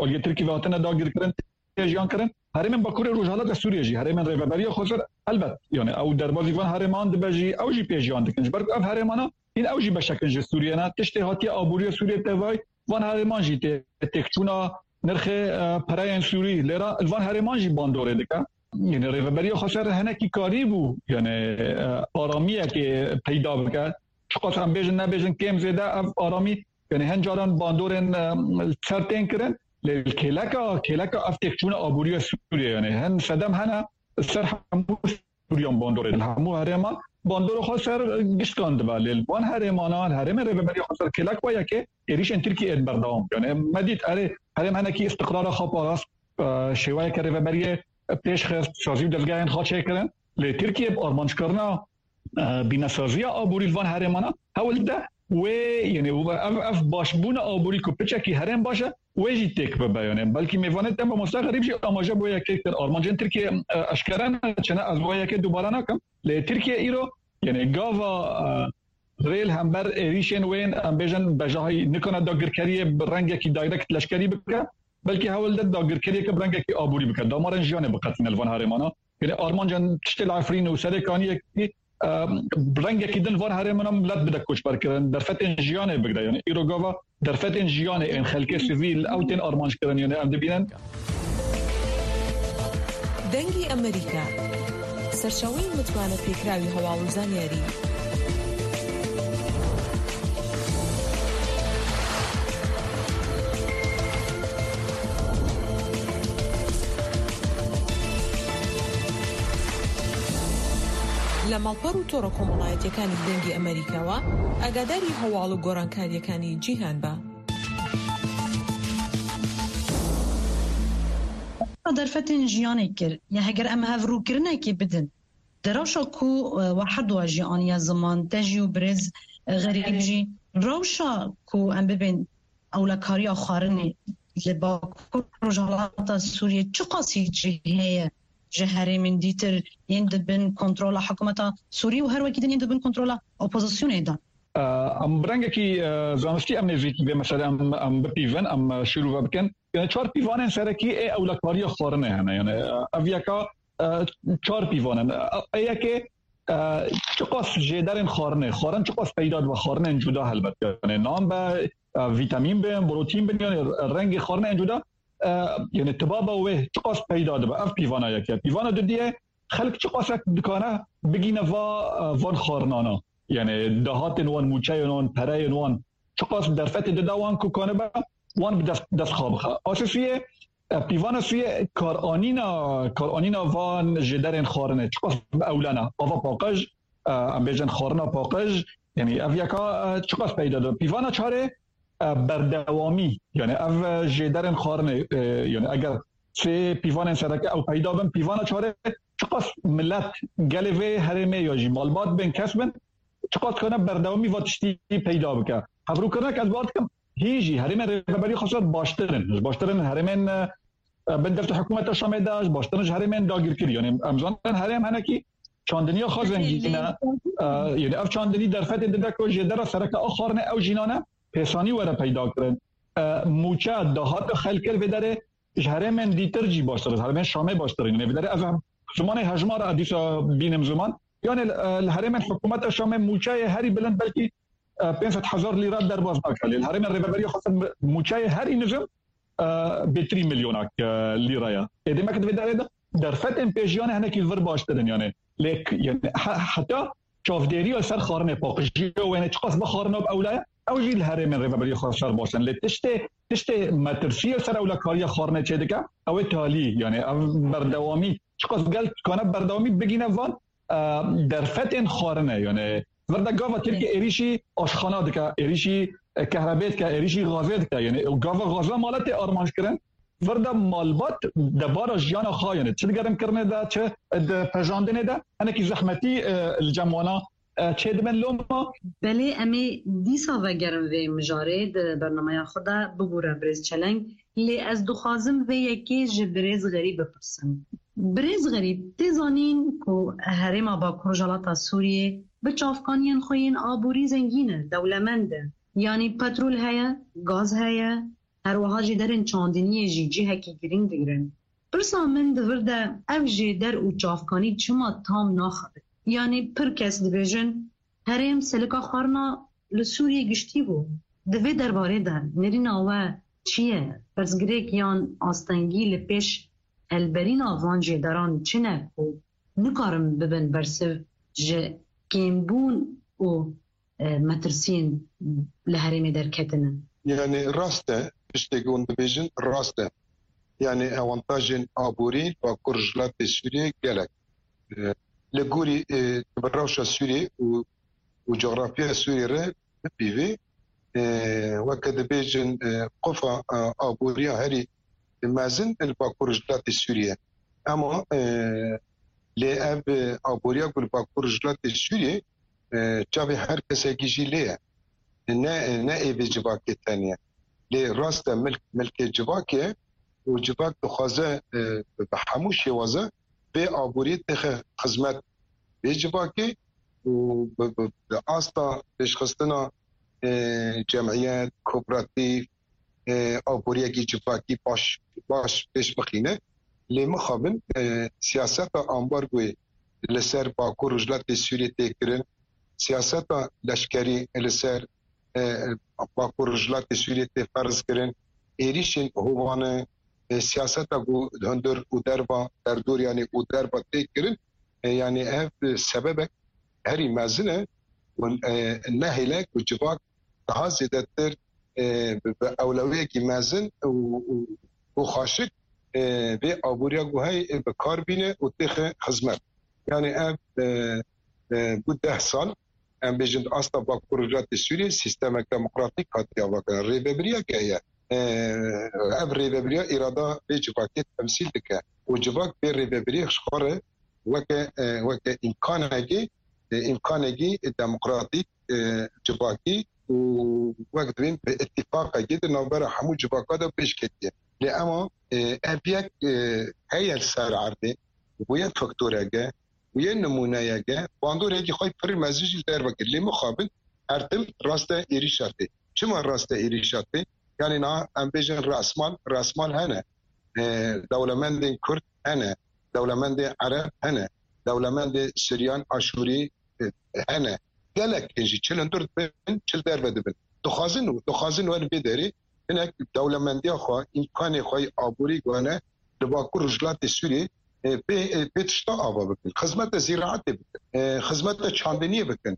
aliyê Tirkî ve hatine dagirkirin, tê jiyan kirin. Herêmên Bakurê Rojhilat li Sûriye jî, herêmên Rêveberiya Xweser, helbet, yanî ew derbazî van herêman dibe jî, ew jî pê jiyan dikin. Ji ber ku ev herêmana hîn ew jî beşek in ji Sûriye ne. Tiştê hatiye aboriya Sûriye tevayî, van herêman jî tê têkçûna nirxê, e, pereyên Sûrî. Lêra li van herêman jî bandorê dike. Yanî Rêveberiya Xweser hinekî karîbû, yanî, e, aramiyekê peyda bike. Çiqas em bêjin nebêjin, kêm zêde ev aramî, yanî hin caran bandorên, e, ser tên kirin. Lê kêleka, kêleka ev têkçûna aboriya Sûriye, yanî hin sedem hene ser hemû Sûriyan bandorê, li hemû herêman bandora xwe ser gişkan dibe. Lê li van herêmana, li herêmên Rêveberiya Xweser kêlek wa yekê êrîşên Tirkiyê ên berdewam. Yanî me dît erê herêm hinekî îstiqrara xwe parast, e, şêweyeke rêveberiyê pêş xist, sazî û dezgehên xwe çêkirin. Lê Tirkiye bi armanckirina, e, bînesaziya aborî li van herêmana hewl dide wê, yanî ev, ev başbûna aborî ku piçekî herêm baş e, wê jî têk bibe. Yanî belkî mêvanê te mamoste Xerîb jî amaje bo yekê kir. Armancên Tirkiye, e, eşkere ne, çi ne, ez bo yekê dubare nakim. Lê Tirkiye îro, yanî gava, e, rê li hember êrîşên wên, em bêjin, bejahî nikane dagirkeriyê bi rengekî direct leşkerî bike, belkî hewl de dagirkeriyeke bi rengekî aborî bike. Damarên jiyanê biqetîne li van herêmana. Yanî armancan tiştê li Efrîn û Serêkaniyekî, e, bi rengekî din van herêmana milet bide koçberkirin, derfetên jiyanê bigre. Yanî îro gava derfetên jiyanê ên xelkê sivîl ew tên armanc kirin. Yanî em dibînin. دەنگی ئەمریکا، سەرچاوەی متمانە پێکراوی هەواڵ و زانیاری. لە ماڵپەڕ و تۆڕە کۆمەڵایەتیەکانی دەنگی ئەمریکاوە ئاگاداری هەواڵ و گۆڕانکاریەکانی جیهان بە. Derfetên jiyanê kir, ya heger em hevrûkirinekê bidin, di rewşa ku, e, we her du jî aniye ziman, te jî û birêz, e, Xerîb jî, rewşa ku em bibên ewlekariya xwarinê li Bakur Rojhilata Sûriyê çiqasî cihê ye ji herêmên dîtir yên di bin kontrola hikûmeta Sûrî û her wekî din yên di bin kontrola opozisyonê de? Em bi rengekî, e, zanistî em nêzîkî vê meselê em, em bipîvin, em, e, şîrove bikin. Yani çar pîvanên serekî ê ewlekariya xwarinê hene. Yani, e, ev yeka, e, çar pîvan in. E, ê yekê, e, çiqas jêderên xwarinê, xwarin çiqas peyda dibe, xwarinên cuda helbet. Yani nan be, e, vîtamîn bin, protîn bin, yani rengê xwarinên cuda, e, yani tibaba wê çiqas peyda dibe. Ev pîvana yek e. Pîvana dudiyê, xelk çiqasek dikane bigîne va, e, van xwarinana. Yani dahatên wan, mûçeyên wan, pereyên wan, çiqas derfetê dide wan ku kanibe wan bi dest, dest xwe bixe. A sê sûyê, e, pîvana sûyê karanîna, karanîna van jêderên xwarinê çiqas bi ewlena. Ava paqij, e, em bêjin xwarina paqij, yani ev yeka, e, çiqas peyda dibe. Pîvana çarê, e, berdewamî, yani ev, e, jêderên xwarinê, e, yani eger sê pîvanên sereke ew peyda bin, pîvana çarê çiqas milet, gelê vê herêmê ya jî malbat bin, kes bin, çiqas dikane berdewamî va tiştî peyda bike. Hevrûkirinek ez bawer dikim, hîn jî herêmên Rêveberiya Xweser baştir in. Ji baştir in herêmên, e, bin dest û hikûmeta Şamê de, ji baştir in ji herêmên dagirkirî. Yani em zanin herêm henekî çandiniya xwe zengîn e. E, yani ev çandinî derfetê dide ku jêdera sereke a xwarinê ew jî nane pêsanî were peyda kirin. E, mûçe, dahata xelkê li vê derê ji herêmên dîtir jî baştir e, herêmên Şamê baştir e. Yani vê derê ev zimanê hejmar e, dîsa bînim ziman. Yani, e, li herêmên hikûmeta Şamê mûçeyê herî bilind belkî, e, pênc sed hezar lîra derbas nake. Lê li herêmên Rêveberiya Xweser mûçeyê herî nizim, e, bêtirî milyonak, e, lîra ye. Ê demek di vê derê de derfetên pêjiyanê hinekî li vir baştir in, yani. Lê k-, yani, he-, heta çavdêriya ser xwarinê, paqijiyê wêne çiqas bi xwarina bi ewle ye, ew jî li herêmên Rêveberiya Xweser baş in. Lê tiştê, tiştê metirsiyê ser ewlekariya xwarinê çêdike, ew ê talî, yani ev berdewamî, çiqas gel dikane berdewamî bigîne van, e, derfetên xwarinê, yani vir de gava Tirkiye êrîşî aşxana dike, êrîşî, e, kehrebê dike, êrîşî gazê dike, yani gava gaza male tê armanc kirin, vir de malbat debara jiyana xwe, yani çi di gerimkirinê de, çi di pejandinê de, hinekî zehmetî, e, li cem wana, e, çêdibin. Loma Belê, em ê dîsa vegerin vê mijarê di bernameya xwe de, bibûre birêz Çeleng, lê ez dixwazim vê yekê ji birêz Xerîb bipirsim. Birêz Xerîb, tê zanîn ku herêma Bakur Rojhilata Sûriyê bi çavkaniyên xwe yên aborî zengîn e, dewlemend e. Yanî petrol heye, gaz heye, her wiha jî derên çandiniyê jî cihekî girîng digirin. Pirsa min di vir de ev jêder û çavkanî çima tam naxebin? Yanî pir kes dibêjin, herêm selika xwarina li Sûriyê giştî bû. Di vê derbarê de nêrîna we çi ye? Pirsgirêk yan astengî li pêş helberîna van jêderan çi ne ku nikarin bibin bersiv ji kêmbûn û, e, metirsiyên li herêmê derketine? Yanî rast e, tiştê ku hûn dibêjin rast e. Yanî avantajên aborî Bakur Rojhilatê Sûriyê gelek, e, li gorî, e, rewşa Sûriyê û û coğrafya Sûriyê re bipîvê, e, weke dibêjin, e, qofa, e, aboriya herî mezin li Bakur Rojhilatê Sûriyê. Ema, e, lê ev, e, aboriya ku li Bakur Rojhilatê Sûriyê, e, çavê her kesekî jî lê ye. Ne, ne ê vê civakê tenê ye. Lê rast e milk, milkê civakê ye û civak dixwaze, e, bi hemû şêwaze vê aboriyê têxe xizmet vê civakê û bi, bi, bi asta pêşxistina, e, cemiyet, kooperatîf, e, aboriyekî civakî baş, baş pêş bixîne. Lê mixabin, e, siyaseta ambargoyê li ser Bakur Rojhilatê Sûriyê tê kirin, siyaseta leşkerî li ser, e, Bakur Rojhilatê Sûriyê tê ferz kirin, êrîşên hovane, e, siyaseta ku hundir û derva, derdoriyanê û derva tê kirin, e, yanî ev, e, sebebek herî mezin e û, e, nehêle ku civak daha zêdetir, e, bi, bi ewlewiyekî mezin û, û, û xaşik, e, vê aboriya ku heyî, e, bi kar bîne û têxe xizmet. Yanî ev, e, e, bû deh sal, em bêjin di asta Bakur Rojhilatê Sûriyê sîstemek demokratîk hatiye avakirin. Rêvebiriyek heye. E, ev rêvebiriya îrada vê civakê temsîl dike. Û civak vê rêvebiriyê ji xwe re weke, e, weke îmkanekê, e, îmkanekî demokratîk, e, civakî û wek dibên bi îtîfaqekê di navbera hemû civaka de pêş ketiye. Lê ema, e, ev yek, e, heye li ser erdê, bûye faktoreke, bûye nimûneyeke, bandoreke xwe pir mezin jî li derve kir. Lê mixabin her tim raste êrîşa tê. Çima raste êrîşa tê? Yanî niha em bêjin rasmal, rasmal hene. E, dewlemendên Kurd hene, dewlemendên Ereb hene, dewlemendên Siryan, Aşûrî, e, hene. Gelek jî çi li hundir dibin, çi li derve dibin. Dixwazin û dixwazin wer vê derê hinek dewlemendiya xwe, îmkanê xwe yê aborî gane li Bakur Rojhilatê Sûriyê, e, pê, e, pê tişta ava bikin. Xizmete zîraetê bikin. E, xizmete çandiniyê bikin.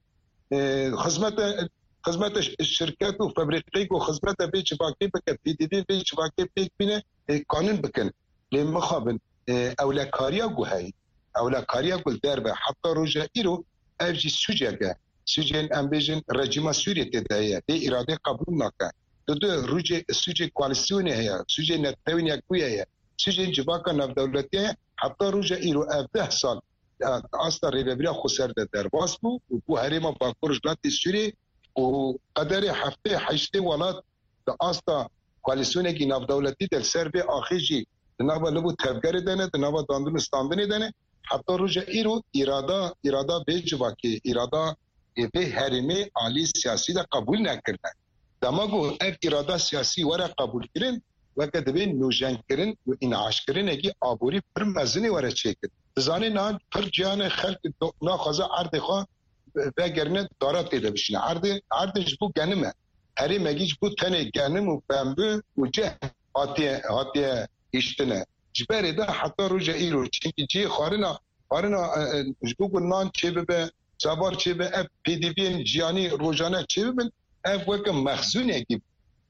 E, xizmete, xizmete ş-, şirket û febrîqeyê ku xizmete vê civakê bike, pêdiviyên vê civakê pêk bîne, e, kanin bikin. Lê mixabin, e, ewlekariya ku heyî, ewlekariya ku li derve heta roja îro ev jî sûcek e. Sûcên em bêjin rejîma Sûriyê tê de heye. Vê îradê qebûl nake. Di du rûcê sûcê koalîsyonê heye, sûcê Netewên Yekbûyî heye, sûcên civaka navdewletî heye. Heta roja îro ev deh sal, e, asta rêvebiriya xweser de derbas bû û bû herêma Bakur Rojhilatê Sûriyê û qederê heftê heştê welat di asta koalîsyonekî navdewletî de li ser vê axê jî di nava liv û tevgerê de ne, di nava dandin û standinê de ne. Heta roja îro îrada, îrada vê civakê, îrada, ê, vê herêmê alî siyasî de qebûl nekirine. Dema ku ev îrada siyasî were qebûlkirin, weke divê nûjenkirin û înîaşkirinekî aborî pir mezinê were çêkirin. Dizanê niha pir cihane xelk do-, naxwaze erdê xwe vegerine dara tê de bişîne. Erdê, erdê ji bo genim e. Herêmekî ji bo tenê genim û pembû û cih hatiye, hatiye hiştine. Ji berê de heta roja îro. Çimkî cihê xwarina, xwarina, e, e, ji bo ku nan çêbibe, çavar çêbe, ev pêdiviyên jiyanî rojane çêbibin, ev weke mexzûnekî.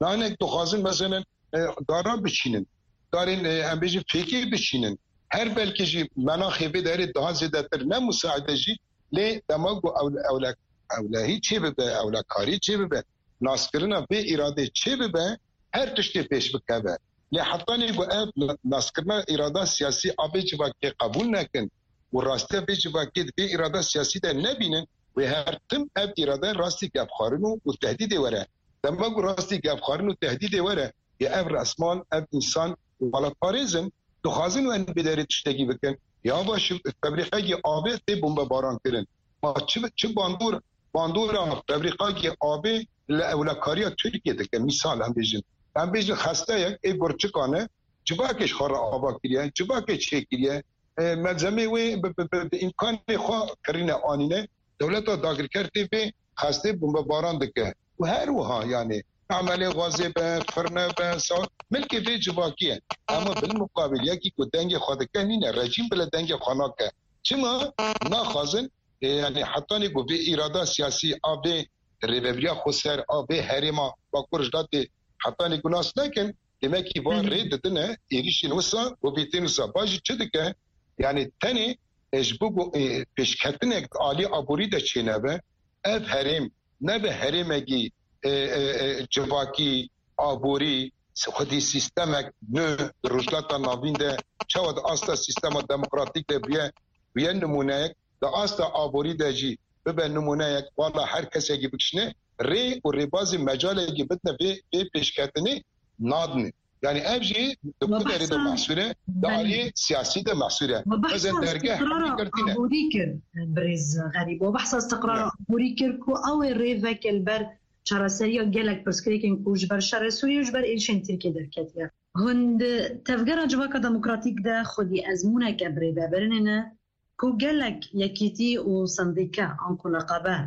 Nanek dixwazin, meselen, e, dara biçînin. Darên, e, em bêjin fêkê biçînin. Her belkî jî menaxê vê derê daha zêdetir ne musaide jî, lê dema ku ew-, ewle-, ewlehî çêbibe, ewlekarî çêbibe, naskirina vê îradê çêbibe, her tiştê pêş bikeve. Lê hetanî ku ev na-, naskirina îrada siyasî a vê civakê qebûl nekin û rastiya vê civakê di vê îrada siyasî de nebînin, wê her tim ev îrade rastî gefxwarin û, û tehdîdê were. Dema ku rastî gefxwarin û tehdîdê were, yê ev resman, ev însan welatparêz in, Dixwazin û em bêderê tiştekî bikin. Ya baş, febrîqekî avê tê bombebaran kirin. Ma çi, çi bandor, bandora febrîqekî avê li ewlekariya Tirkiye dike? Mîsal em bêjin. Em bêjin xesteyek ê gurçikan e, civakê ji xwe re ava kiriye, civakê çêkiriye. E, malzemê wê bi, bi, bi, bi îmkanê xwe kirîne anîne. Dewleta dagirker tê vê xestê bombebaran dike. Û her wiha, yanî, emelê gazê be, firne be, sa-, milkê vê civakî ye. Ama bil muqabil, yekî ku dengê xwe dike nîne, rejîm bile dengê xwe nake. Çima? Naxwazin, e, yanî, hetanî ku vê îrada siyasî a vê rêvebiriya xweser a vê herêma Bakur Rojhilatê hetanî ku nas nekin, demekî van rê didine êrîşên wisa, govîtên wisa. Ba jî çi dike? Yanî tenê, e, ji bo go-, e, pêşketinek di alî aborî de çênebe, ev herêm nebe herêmekî, e, e, e, civakî, aborî, xwedî sîstemek nû di Rojhilata Navîn de çawa di asta sîstema demokratîk de bûye, bûye nimûneyek, di asta aborî de jî bibe nimûneyek, wala her kesekî bikişîne, rê û rêbazê mecalekî bidine vê, vê pêşketinê nadine. Yanî ev jî di ku derê de mehsûr e, di aliyê siyasî de mehsûr e. Xwezin dergeh girtîne. Aborî kir, birêz Xerîb. We behsa istiqrara aborî kir ku ew ê rê veke li ber çareseriya gelek pirsgirêkên ku ji ber şerê Sûriyê û ji ber êrişên Tirkiyê derketiye. Hûn di Tevgera Civaka Demokratîk de xwedî ezmûneke birêvebirinê ne ku gelek yekîtî û sendîke anku neqabe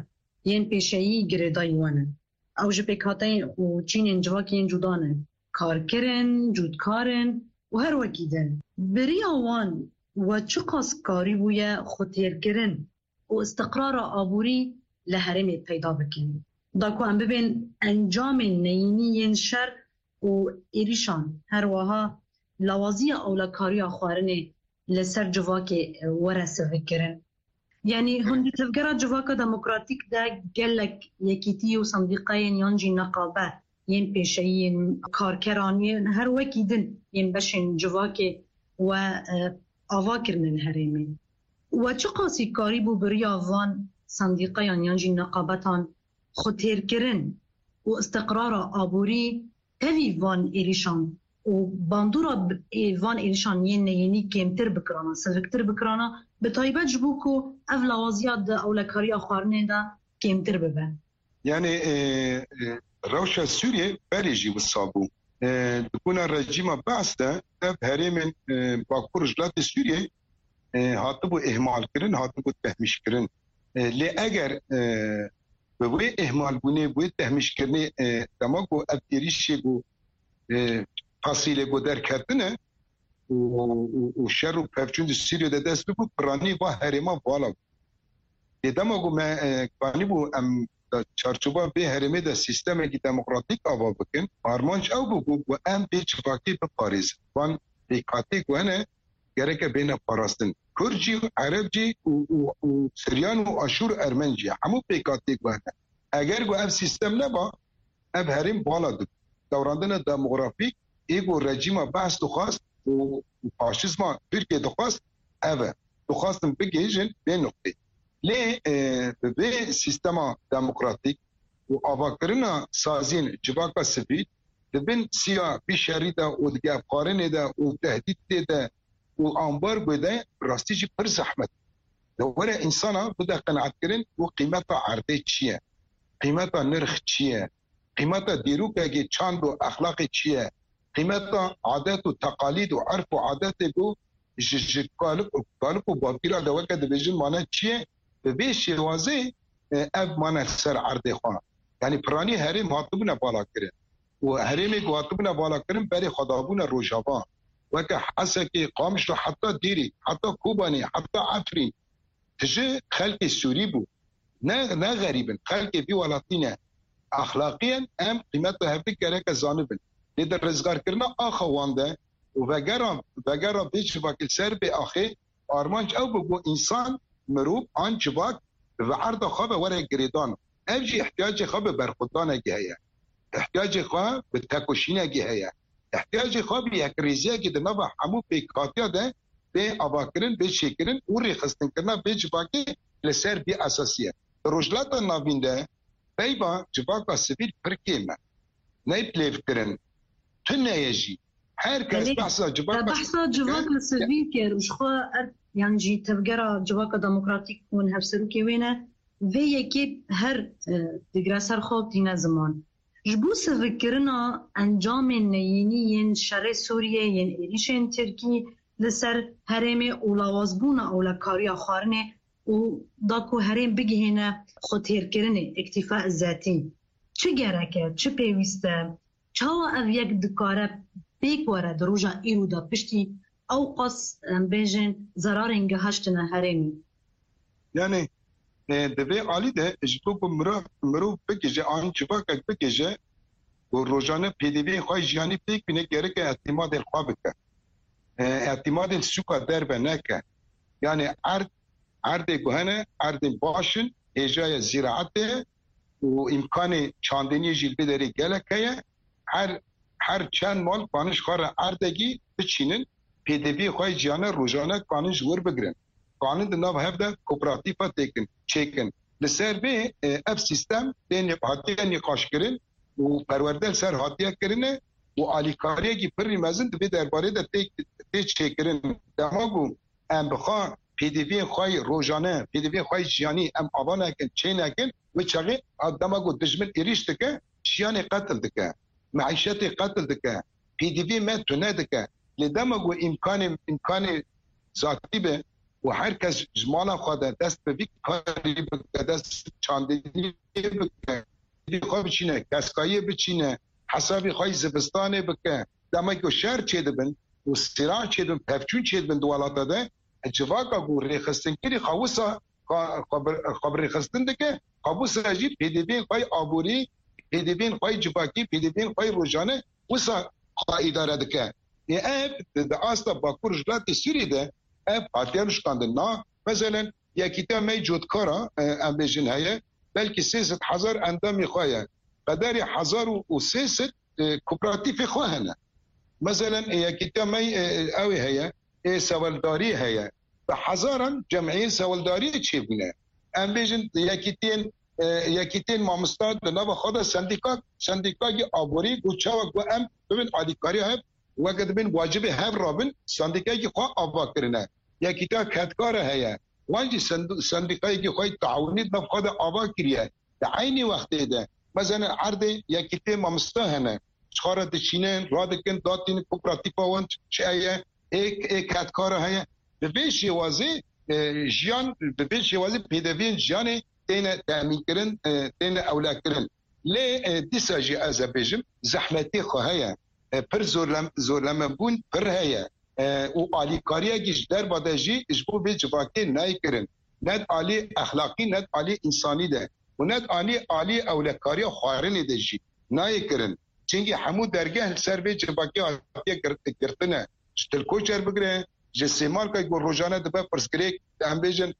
yên pêşeyî girêdayî wan in. Ew ji pêkhateyên û çînên civakî yên cuda ne. Karker in, cûtkar in û her wekî din. Bi riya wan we çiqas karîbûye xwetêrkirin û istiqrara aborî li herêmê peyda bikin? Da ku em bibên encamên neyînî yên şer û êrîşan, her wiha lawaziya ewlekariya xwarinê li ser civakê were sivikkirin. Yanî hûn di Tevgera Civaka Demokratîk de gelek yekîtî û sendîqeyên yan jî neqabe yên pêşeyî yên karkeran yên her wekî din yên beşên civakê we, e, ava kirine li herêmê. We çiqasî karîbû bi riya van sendîqeyan yan jî neqabetan xwetêrkirin û istiqrara aborî tevî van êrîşan û bandora b-, ê van êrîşan yên neyînî kêmtir bikirana, siviktir bikirana, bi taybet ji bo ku ev lawaziya di ewlekariya xwarinê de kêmtir bibe. Yanî, e, e, rewşa Sûriyê berê jî wisa bû. E, di kuna rejîma Be'es de ev herêmên, e, Bakur Rojhilatê Sûriyê, e, hatibû ihmalkirin, hatibû tehmîşkirin. E, lê eger, e, bi wê ihmalbûnê, bi wê tehmîşkirinê, e, dema ku ev êrîşê ku, e, fasîlê ku derketine û, û, û şer û pevçûn di Sûriyê de dest bibû, piranî va herêma vala bû. Lê dema ku me, e, kanîbû em di çarçoba vê herêmê de sîstemekî demokratîk ava bikin, armanc ew bû ku, ku em vê civakê biparêzin. Van pêkhatê ku hene, gereke bêne parastin. Kurd jî, Ereb jî û, û, û Siryan û Aşûr Ermen jî, hemû pêkhatê ku hene. Eger ku ev sîstem neba, ev herêm bala dibû. Dewrandina demografîk ê ku rejîma Be'es dixwast û, û faşîzma Tirkiyê dixwast, ev e. Dixwastin bigihîjin vê nuqtê. Lê, e, bi vê sîstema demokratîk û avakirina saziyên civaka sivîl di bin siya vî şerî de û di gefxwarinê de û tehdîtê de û ambargoyê de rastî jî pir zehmet. De were însana bide qenaetkirin û qîmeta erdê çi ye? Qîmeta nirx çi ye? Qîmeta dîrokekê çand û exlaqê çi ye? Qîmeta adet û teqalîd û erf û adetê ku ji, ji kalik, kalik û bapîra de weke dibêjin mane çi ye? Bi vê şêwazê, e, ev mane ser erdê xwe. Yanî piranî herêm hatibûne balakirin. Û herêmê ku hatibûne balakirin berê xwe dabûne Rojava. Weke Hesekê, Qamişlo, heta Dêrî, heta Kobanê, heta Efrîn. Tije xelkê Sûrî bû. Ne, ne xerîb in. Xelkê vî welatî ne. Exlaqiyen em qîmeta hevdî gereke zanibin. Lê di rizgarkirina axa wan de û vegera, vegera vê civakê li ser vê axê armanc ew bû, bû însan, mirov an civak bi erda xwe ve were girêdan. Ev jî ihtiyacê xwe bi berxwedanekî heye. Ihtiyacê xwe bi tekoşînekî heye. Ihtiyacê xwe bi yekrêziyekî di nava hemû pêkhatiya de bê avakirin, bê çêkirin û rêxistinkirina vê civakê li ser vî esasî ye. Di Rojhilata Navîn de peyva civaka sivîl pir kêm e. Neyê bilêvkirin. Tune ye jî. Her kes Belê, behsa civaka behsa civaka sivîl kir û ji xwe er, yan jî tevgera civaka demokratîk hûn hevserokê wê ne, vê yekê her, e, digre ser xwe û tîne ziman. Ji bo sivikkirina encamên neyînî yên şerê Sûriyê, yên êrîşên Tirkî li ser herêmê û lawazbûna ewlekariya xwarinê û da ku herêm bigihêne xwetêrkirinê, îktîfa zetî, çi gerek e, çi pêwîst e? Çawa ev yek dikare pêk were di roja îro de piştî ew qas, em bêjin, zerarên gihaştine herêmê? Yani, e, di vê alî de ji bo ku mirov, mirov bigije an civakek bigije ku rojane pêdiviyên xwe yê jiyanî pêk bîne, gereke îtimadên xwe bike. E, îtimadên sûka derve neke. Yani erd, erdê ku hene, erdên baş in, hêjaya zîraetê û îmkanê çandiniyê jî li vê derê gelek heye. Her, her çend mal kanin ji xwe re erdekî biçînin, pêdiviyê xwe yê ciyane rojane kanin ji wir bigirin. Kanin di nav hev de kooperatîfa têkin, çêkin. Li ser vê, e, ev sîstem tê nî-, hatiye nîqaşkirin û perwerde li ser hatiye kirine û alîkariyekî pirî mezin di vê derbarê de tê, tê çêkirin. Dema ku em bi xwe pêdiviyên xwe yê rojane, pêdiviyên xwe yê jiyanî em ava nekin, çê nekin, wê çaxê a dema ku dijmin êrîş dike, jiyanê qetil dike, meîşetê qetil dike, pêdiviyê me tune dike. Lê dema ku îmkanê, îmkanê zatî be û her kes ji mala xwe de dest bi vî karî bike, dest çandiniyê bike, pêdiviyê xwe biçîne, keskayiyê biçîne, hesabê xwe yê zivistanê bike, dema ku şer çêdibin û sîra çêdibin, pevçûn çêdibin di welata de, civaka ku rêxistinkirî xwe wisa xwe, xwe bi, xwe bi rêxistin dike, xwe wisa jî pêdiviyên xwe yê aborî, pêdiviyên xwe yê civakî, pêdiviyên xwe yê rojane wisa xwe îdare dike. Ê ev di, di asta Bakur Rojhilatê Sûriyê de ev hatiye nuşkandin. Na, meselen, Yekîtiya me yê Cotkara, e, em bêjin heye, belkî sê sed hezar endamê xwe ye. Qederê hezar û sê sed, e, kooperatîfê xwe hene. Meselen, e, Yekîtiya me, e, ew ê heye, ê Seweldarî heye. Bi hezaran cemiyên Seweldariyê çêbûne. Em bêjin Yekîtiyên, e, Yekîtiyên Mamosta di nava xwe de sendîka, sendîkayekî aborî bû, çawa ku em bibin alîkariya hev, weke dibin wacibê hev rabin, sendîkayekî xwe ava kirine. Yekîtiya Kedkara heye. Wan jî send-, sendîkayekî xwe yê taawunî di nav xwe de ava kiriye. Di eynî wextê de, meselen, erdê Yekîtiyê Mamosta hene. Ji xwe re diçînin, radikin, datînin, kooperatîfa wan çi heye, ê, ê Kedkara heye. Bi vê şêwazê, e, jiyan, bi vê şêwazê pêdeviyên jiyanê têne temînkirin, e, têne ewlekirin. Lê, e, dîsa jî ez ê bêjim, zehmetê xwe heye. E, pir zorlem-, zorlemebûn pir heye. E, û alîkariyekî ji derva de jî ji bo vê civakê nayê kirin. Ne di alî exlaqî, ne di alî însanî de. Û ne di alî, alî ewlekariya xwarinê de jî nayê kirin. Çimkî hemû dergeh li ser vê civakê hatiye gir-, girtine. Ji Til Koçer bigire, ji Sêmalka ku rojane dibe pirsgirêk, em bêjin,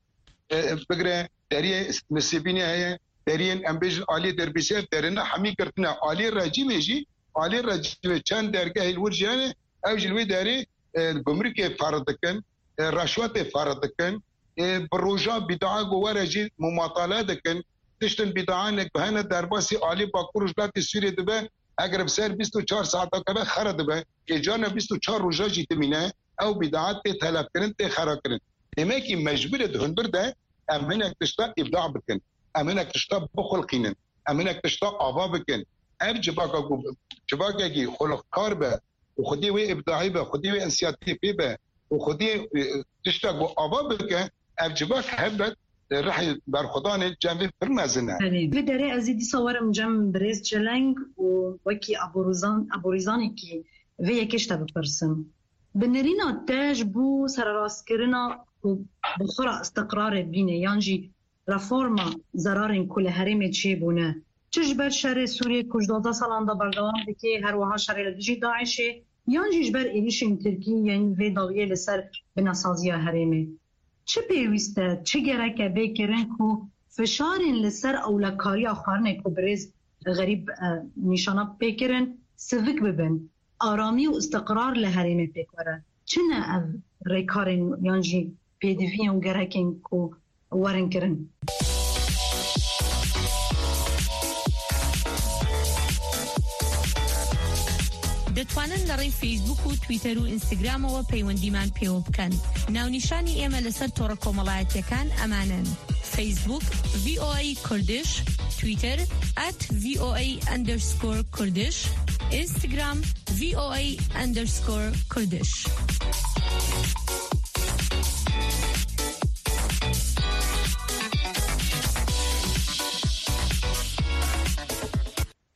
e, bigire, deriyê Nisêbînê heye, deriyên, em bêjin, aliyê Derbîsê, ev derine hemî girtine. Aliyê rejîmê jî, aliyê rejîmê çend dergehê li wir jî hene, ew jî li wê derê, e, gumrikê ferq dikin, e, reşwetê ferq dikin, e, bi roja bîdaa ku were jî mumatale dikin, tiştin bîdaanek bi hene derbasî alî Bakur Rojhilatê Sûriyê dibe, eger bi ser bîst û çar saeta keve xera dibe, ê carna bîst û çar roja jî dimîne, ew bîdaat tê telefkirin, tê xerakirin. Demekî mecbûr e di hundir de em hinek tişta îbda bikin, em hinek tişta bixulqînin, em hinek tişta ava bikin. Ev civaka ku civakekî xulqkar be û xwedî wê îbdayî be, xwedî wê însiyatîfê be û xwedî, e, tişta ku ava bike, ev civak helbet, e, rihê berxwedanê cem vê pir mezin e. Belê. Vê derê ez ê dîsa werim cem birêz Çeleng û wekî aborîzan-, aborîzanekî vê yekê ji te bipirsim. Bi nerîna te ji bo sererastkirina ku bi xwe re îstiqrarê bîne yan jî reforma zerarên ku li herêmê çêbûne, çi ji ber şerê Sûriyê ku ji duwazdeh salan de berdewam dike, her wiha şerê li dijî DAIŞê, yan jî ji ber êrîşên Tirkî yên vê dawiyê li ser binesaziya herêmê. Çi pêwîst e, çi gerek e bê kirin ku fişarên li ser ewlekariya xwarinê ku birêz Xerîb, e, nîşana pê kirin, sivik bibin, aramî û îstiqrar li herêmê pêk were? Çi ne ev rêkarên yan jî pêdiviyên û gerekên ku werin kirin? دەتوانن لە ڕێی فەیسبوک و تویتەر و ئینستاگرامەوە پەیوەندیمان پێوە بکەن. ناونیشانی ئێمە لەسەر تۆڕە کۆمەڵایەتیەکان ئەمانەن: فەیسبوک، ڤی ئۆ ئەی کوردش، تویتەر، ئەت ڤی ئۆ ئەی ئەندەرسکۆر کوردش، ئینستاگرام، ڤی ئۆ ئەی ئەندەرسکۆر کوردش.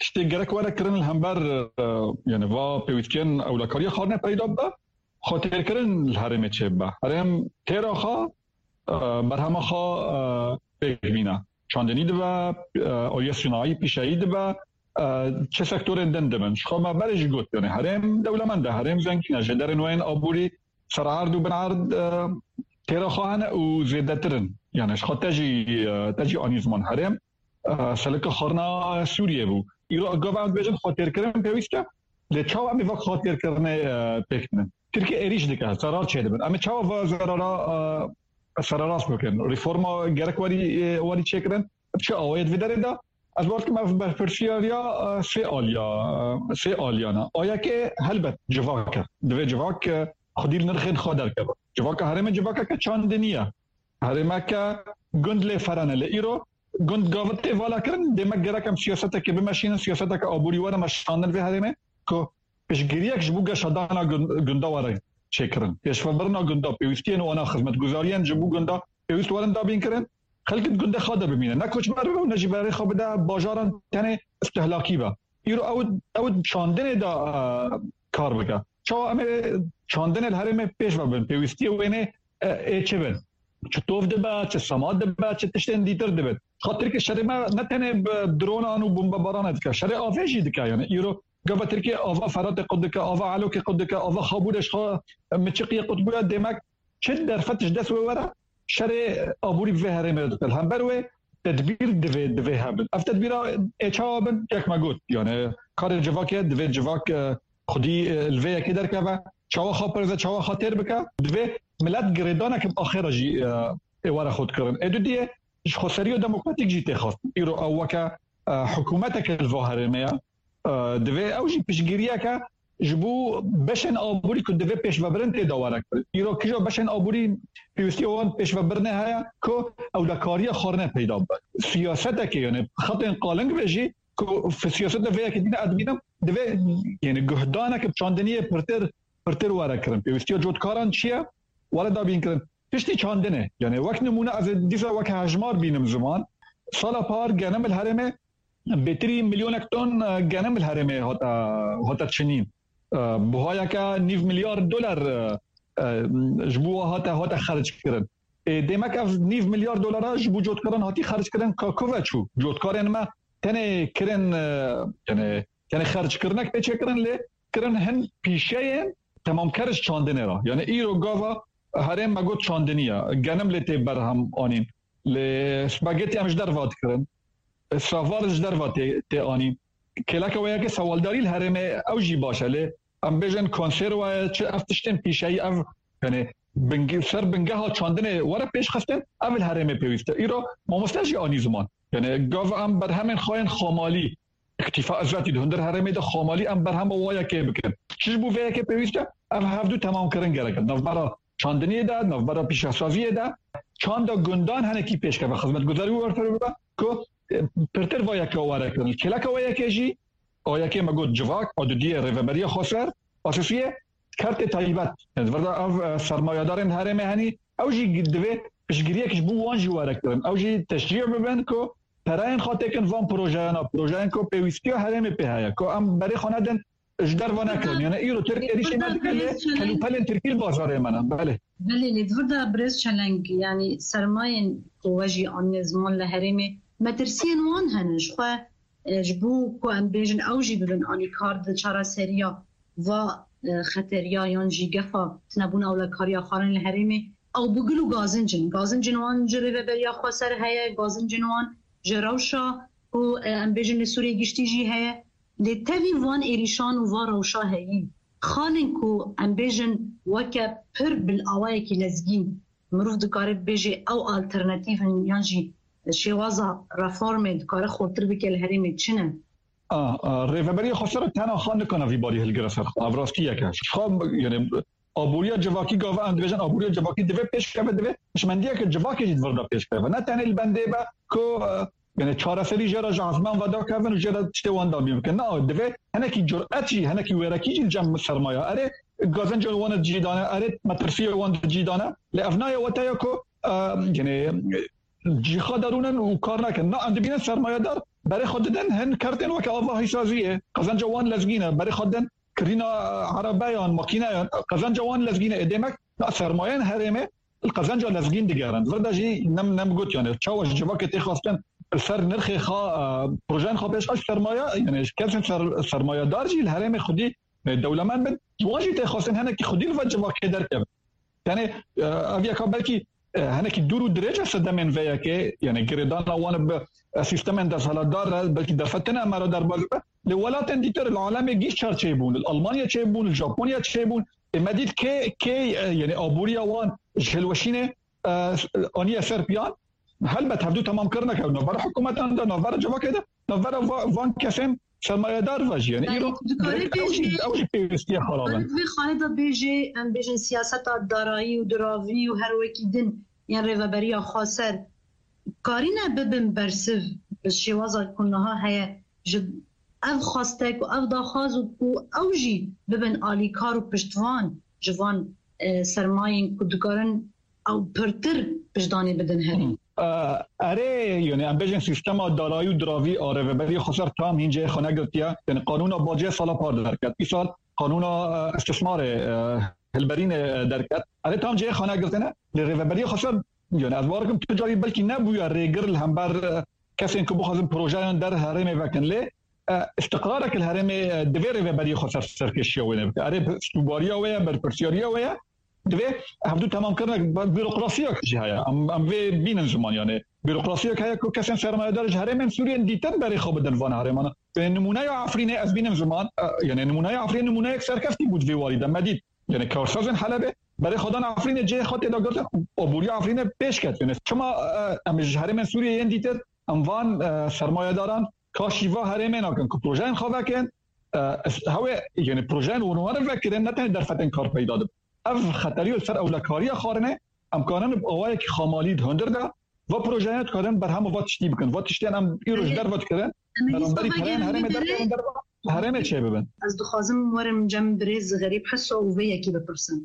Tiştê gerek were kirin li hember, e, yani va pêwîstiyên ewlekariya xwarine peyda bibe, xwetêrkirin li herêmê çêbibe. Herêm têra xwe, e, berhema xwe, e, pêk bîne. Çandinî dibe, e, aliyê sinayî, pîşeyî dibe, e, çi sektorên din dibin. Ji xwe me berê jî got, yani herêm dewlemend e, herêm zengîn e, ji derên wê yên aborî sererd û binerd, e, têra xwe hene û zêdetir in. Yani ji xwe te jî, e, te jî anî ziman herêm, e, selika xwarina Sûriyê bû. Îro gava em dibêjin xwetêrkirin pêwîst e. Lê çawa em ê va xwetêrkirinê, e, pêk bînin? Tirkiye êrîş dike, zerar çêdibin. Em ê çawa va zerara, e, sererast bikin? Reforma gerek werî, e, werî çêkirin? Bi çi awayê di vê derê de? Ez bawer dikim ev berpirsiyariya, e, sê aliya, e, sê aliyan e. A yekê helbet civak e. Divê civak, e, xwedî li nirxên xwe derkeve. Civaka herêmê civakeke çandinî ye. Herêmeke gund lê ferene. Lê îro gund gava tê vala kirin, dê me gerek em siyaseteke bimeşînin, siyaseteke aborî were meşandin vê herêmê ku piştgiriyek ji bo geşedana gun-, gunda were çêkirin. Pêşvebirina gunda, pêwîstiyên wana, xizmetguzariyên ji bo gunda pêwîst werin dabîn kirin. Xelk di gundê xwe de bimîne. Ne koçber bibe û ne jî berê xwe bide bajaran tenê istihlakî be. Îro ew, ew çandinê de, e, kar bike. Çawa em ê çandinê li herêmê pêş ve bin? Pêwîstiyê wênê, e, ê çi bin? Çi tov dibe, çi sema dibe, çi tiştên dîtir dibin? Xwe Tirkiye şerê me ne tenê bi dronan û bombebaran dike. Şerê avê jî dike yani. Îro gava Tirkiye ava Feratê qut dike, ava Elokê qut dike, ava Xabûrê ji xwe miçiqiyê qut bûye. Demek çi derfet ji dest wê were, şerê aborî bi vê herêmê re dike. Li hember wê tedbîr divê, divê hebin. Ev tedbîra ê çawa bin? Yek me got. Yani karê civakê divê civak, e, xwedî, e, li vê yekê derkeve. Çawa xwe parêze, çawa xwe têr bike? Divê milet girêdaneke bi axêra jî, e, ê were xwe dikirin. Ê dudiyê ji xweseriya demokratîk jî tê xwest. Îro ew weke, e, hikûmeteke li va herêmê ye. E, divê ew jî piştgiriyeke ji bo beşên aborî ku divê pêşvebirin tê de were kirin. Îro kîja beşên aborî pêwîstiya wan pêşvebirinê heye ku ewlekariya xwarine peyda bibe. Siyaseteke, yani xetên qaling be jî ku f-, siyaseta vê yekê dîne ez dibînim, divê, yani guhdaneke bi çandiniyê pirtir, pirtir were kirin. Pêwîstiya cotkaran çi ye? Were dabîn kirin. Piştî çandinê, yani wek nimûne ez ê dîsa wek hejmar bînim ziman. Sala par genim li herêmê bêtirî milyonek ton, e, genim li herêmê hate, hate çinîn. E, buhayeke nîv milyar dolar, e, e, ji bo hate, hate xerc kirin. Ê, demek ev nîv milyar dolara ji bo cotkaran hatî xerc kirin, ka ku ve çû? Cotkarên me tenê kirin, e, yani tenê xerckirinek pê çêkirin, lê kirin hin pîşeyên temamker ji çandinê re. Yani îro gava herêm me got çandinî ye. Genim lê tê berhem anîn. Lê spagetî em ji derva dikirin. Savar ji derva tê, tê anîn. Kêleke wê yekê sewaldarî li herêmê ew jî baş e. Lê em bêjin konserve çi ev tiştên pîşeyî ev, yani binge-, ser bingeha çandinê were pêş xistin, ev li herêmê pêwîst e. Îro mamoste jî anî ziman. Yani gav em berhemên xwe yên xamalî, îktîfa ezatî di hundir herêmê de xamalî em berhema wa yekê bikin. Çi ji bo vê yekê pêwîst e? Ev hevdu temamkirin gerek e. Navbera çandiniyê de, navbera pîşesaziyê de çanda gundan henekî pêşkeve, xizmetguzarî û werfirê bibe ku, e, pirtir va yeke were kirin. Kêleke wa yekê jî, a yekê me got civak, a dudiyê rêveberiya xweser, a sêsiyê kertê taybet. Yani, virda ev, e, sermayedarên herêmê henî, ew jî divê piştgiriyek ji bo wan jî were kirin. Ew jî teşcî bibin ku pereyên xwe têkin van projeyana, projeyên ku pêwîstiya herêmê pê heye, ku em berê xwe nedin, ji derva nekirin. Yani, îro Tirk êrîşê nedike lê kelûpelên Tirkî li bazarê me ne. Belê. Belê, lê di vir de birêz Çeleng, yani sermayên ku we jî aniye ziman li herêmê, metirsiyên wan hene ji xwe, e, ji bo ku em bêjin ew jî bibin alîkar di çareseriya va, e, xeteriya yan jî gefa tunebûna ewlekariya xwarin li herêmê, ew bi gul û gazincin. Gazincin wan ji rêveberiya xweser heye, gazincin wan ji rewşa ku, e, em bêjin li Sûriyê giştî jî heye. Lê tevî van êrîşan û van rewşa heyî, xalên ku em bêjin weke pir bil awayekî lezgîn, mirov dikare bibêje ew alternatîf in yan jî şêwaza reformê dikare xurtir bike li herêmê çi ne? A, a, Rêveberiya Xweser tena xwe nikane vî barî hilgire ser xwe. Ev rastiyek e. Xwe, yani, aboriya civakî gava em dibêjin, aboriya civakî divê pêş keve, divê hişmendiyeke civakê jî di vir de pêş keve. Ne tenê li bendê be ku, e, yani, çareserî jê re ji ezman vedakevin û jê re tiştê wan dabîn bikin. Na, divê hinekî curet jî, hinekî wêrekî jî li cem sermaya. Erê, gazenca wan di cî dane, erê, metirsiya wan di cî dane. Lê ev nayê wateya ku, e, yani, cîxa derûnin û kar nakin. Na, em dibînin sermayedar berê xwe didin hin kertên weke ava hîsaziyê. Qezenca wan lezgîn e. Berê xwe didin kirîna erebeyan, makîneyan. Qezenca wan lezgîn e. Ê demek, na, sermayên herêmê li qezenca lezgîn digerin. Vir de jî nem, nem got, yani, çawa ji civakê tê xwestin li ser nirxê xwe, e, projeyên xwe pêşxist sermaya, yani, kesên ser, sermayedar jî li herêmê xwedî, e, dewlemend bin. Ji wan jî tê xwestin hinekî xwedî li vir civakê derkevin. Yani, e, ev yeka belkî, e, hinekî dûr û dirêj e sedemên vê yekê, yani girêdana wan bi, e, sîstemên desthilatdar re, belkî derfetine em re derbas be. Li welatên dîtir, li alemê gîş çar çêbûn, li Almanya çêbûn, li Japonya çêbûn. Ê me dît kê, kê, e, yani aboriya wan ji hilweşînê, e, aniye ser piyan. Helbet hevdû temamkirine ke navbera hikûmetan de, navbera civakê de, navbera va-, van kesên sermayedar ve jî. Yani, yani, îro tu dikarî direkt ew jî, bêjî, ew jî pêwîstiye xwe rabin. Vê xalê de bêjê, em bêjin siyaseta darayî û diravî û her wekî din yên Rêveberiya Xweser karîne bibin bersiv bi şêwaza ku niha heye ji ev xwestek û ev daxwaz û ku ew jî bibin alîkar û piştvan ji van, e, sermayên ku dikarin ew pirtir piştdanê bidin herî. E, erê, yani em bêjin sîstema darayî û diravî a Rêveberiya Xweser tam hîn cihê xwe negirtiye. Yani qanûna bacê sala par derket. Îsal qanûna, e, istismarê, e, hilberînê, e, derket. Erê tam cihê xwe negirtine. Lê Rêveberiya Xweser, yani ez bawer dikim tu carî belkî nebûye rêgir li hember, e, kesên ku bixwazin projeyan der herêmê vekin. Lê, e, îstiqrarek li herêmê, e, divê Rêveberiya Xweser serkêşiya wê bike. Erê, sûbariya wê ye, berpirsiyariya wê ye. Divê hevdû temamkirinek, bîrokrasiyek jî heye. Em, em vê bînin ziman, yani. Bîrokrasiyek heye ku kesên sermayedar ji herêmên Sûriyên dîtin berê xwe bidin van herêmana. Yanî nimûneya Efrînê ez bînim ziman, e, yani nimûneya Efrînê nimûneyek serkeftî bû di vê warî de. Me dît. Yani karsazên Helebê berê xwe dan Efrînê, cihê xwe tê de girtin. Aboriya Efrînê pêş ket. Yani çima, e, em ji herêmên Sûriyê yên dîtir, em van, e, sermayedaran kaşî va herêmê nakin ku projeyên xwe vekin, e, hewê, yani projeyên wan were vekirin, ne tenê derfetên kar peyda dibin. Ev xeterî li ser ewlekariya xwarinê, em karin bi awayekî xamalî di hundir de, va projeyan dikarin berhema va tiştî bikin. Va tiştên em îro ji derve dikirin, beramberî pereyên herêmê derkevin derve, herêmê çêbibin. Ez dixwazim werim cem birêz Xerîb Heso û vê yekî bipirsim.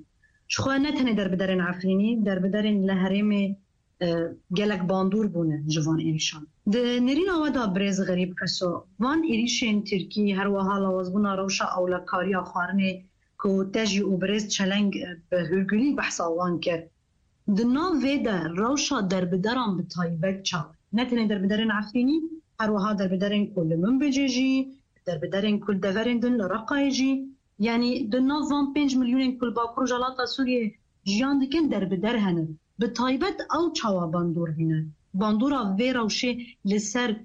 Ji xwe ne tenê derbiderên Efrînî, derbiderên li herêmê, e, gelek bandor bûne ji van êrîşan. Di nêrîna we de birêz Xerîb Heso, van êrîşên Tirkî, her wiha lawazbûna rewşa ewlekariya xwarinê ku te jî û birêz Çeleng, e, bi hûrgulî behsa wan kir. Di nav vê de rewşa derbideran bi taybet çawa ye? Ne tenê derbiderên Efrînî, her wiha derbiderên ku li Minbicê jî, derbiderên ku li deverên din li Reqayê jî, yanî di nav van pênc milyonên ku li Bakur Rojhilata Sûriyê jiyan dikin derbider hene. Bi taybet ew çawa bandor bîne? Bandora vê rewşê li ser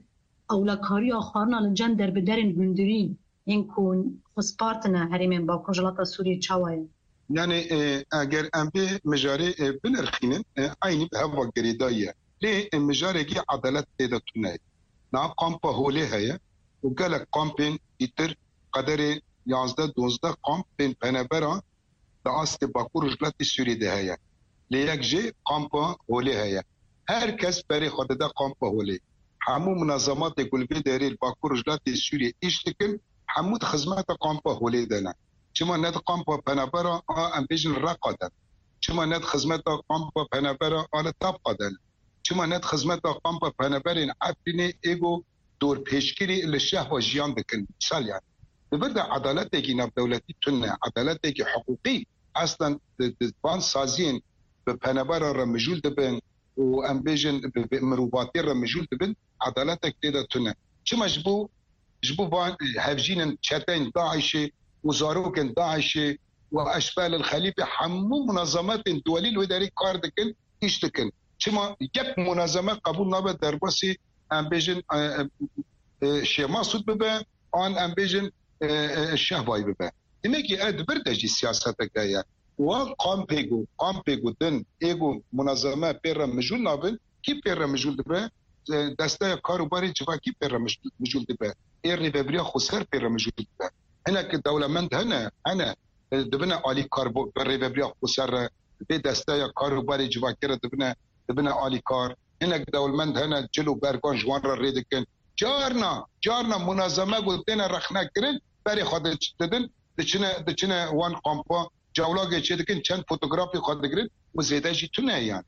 ewlekariya xwarina li cem derbiderên hundirî yên ku xwe spartine herêmên Bakur Rojhilata Sûriyê çawa ye? Yani, e, eger em vê mijarê, e, binirxînin, e, eynî bi hev ve girêdayî ye. Lê, e, mijarekî edalet tê de tune ye. Niha kampa Holê heye û gelek kampên dîtir, qederê yazdeh dozdeh kampên penaberan di astê Bakur Rojhilatê Sûriyê de heye. Lê yek jê kampa Holê heye. Her kes berê xwe dide kampa Holê. Hemû munazematê ku li vê derê li Bakur Rojhilatê Sûriyê îş dikin, hemû di xizmeta kampa Holê de ne. Çima ne di kampa penabera a, em bêjin, Reqa de ne? Çima ne di xizmeta kampa penabera a li Tabqa de ne? Çima ne di xizmeta kampa penaberên Efrînê êgo dorpêçkirî li Şehba jiyan dikin? Misal yani. Di vir de edaletekî navdewletî tune, edaletekî hiqûqî eslen di, di van saziyên bi penabera re mijûl dibin û em bêjin bi, bi mirovatiyê re mijûl dibin, edaletek tê de tune. Çima ji bo, ji bo van, e, hevjînin çeteyên DAIŞê û zarokên DAIŞê û Eşbel el Xelîfê hemû munazemetên duwelî li wê derê kar dikin, îş dikin. Çima yek munazeme qebûl nabe derbasî, em bêjin, e, e, e, Şêmasûd bibe, an em bêjin, e, e, Şehbayî bibe? Demekî ev di vir de jî siyasetek heye. Wan kampê ku, kampê ku din, ê ku munazeme pê re mijûl nabin, kî pê re mijûl dibe? e, desteya kar û barê civakî pê re mij-, mijûl dibe. Ê rêvebiriya xweser pê re mijûl dibe. Hinek dewlemend hene, hene, e, dibine alîkar bo-, bi rêvebiriya xweser re, vê desteya kar û barê civakî re dibine, dibine alîkar. Hinek dewlemend hene, cil û bergan ji wan re rê dikin. Carna, carna munazeme ku têne rexnekirin, berê xwe di-, didin, diçine, diçine wan kampa, cewlagê çê dikin, çend fotografê xwe digirin û zêde jî tune ye yani.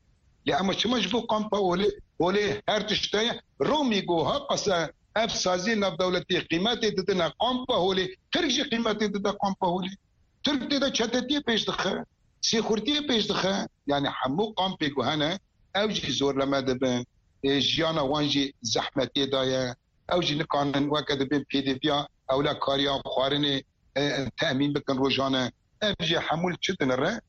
Lê ema çima ji bo kampa Holê, Holê her tişt heye? Romî ku ha qese ev saziyê navdewletî qîmetê didine kampa Holê, Tirk jî qîmetê dide kampa Holê. Tirk tê de çetetiyê pêş dixe, sêxurtiyê pêş dixe. Yani hemû kampê ku hene, ew jî zorleme dibin. Ê, jiyana wan jî zehmetiyê daye. Ew jî nikanin weke dibên pêdiviya ewlekariya xwarinê, e, temîn bikin rojane. Ev jî hemû li çi dinire?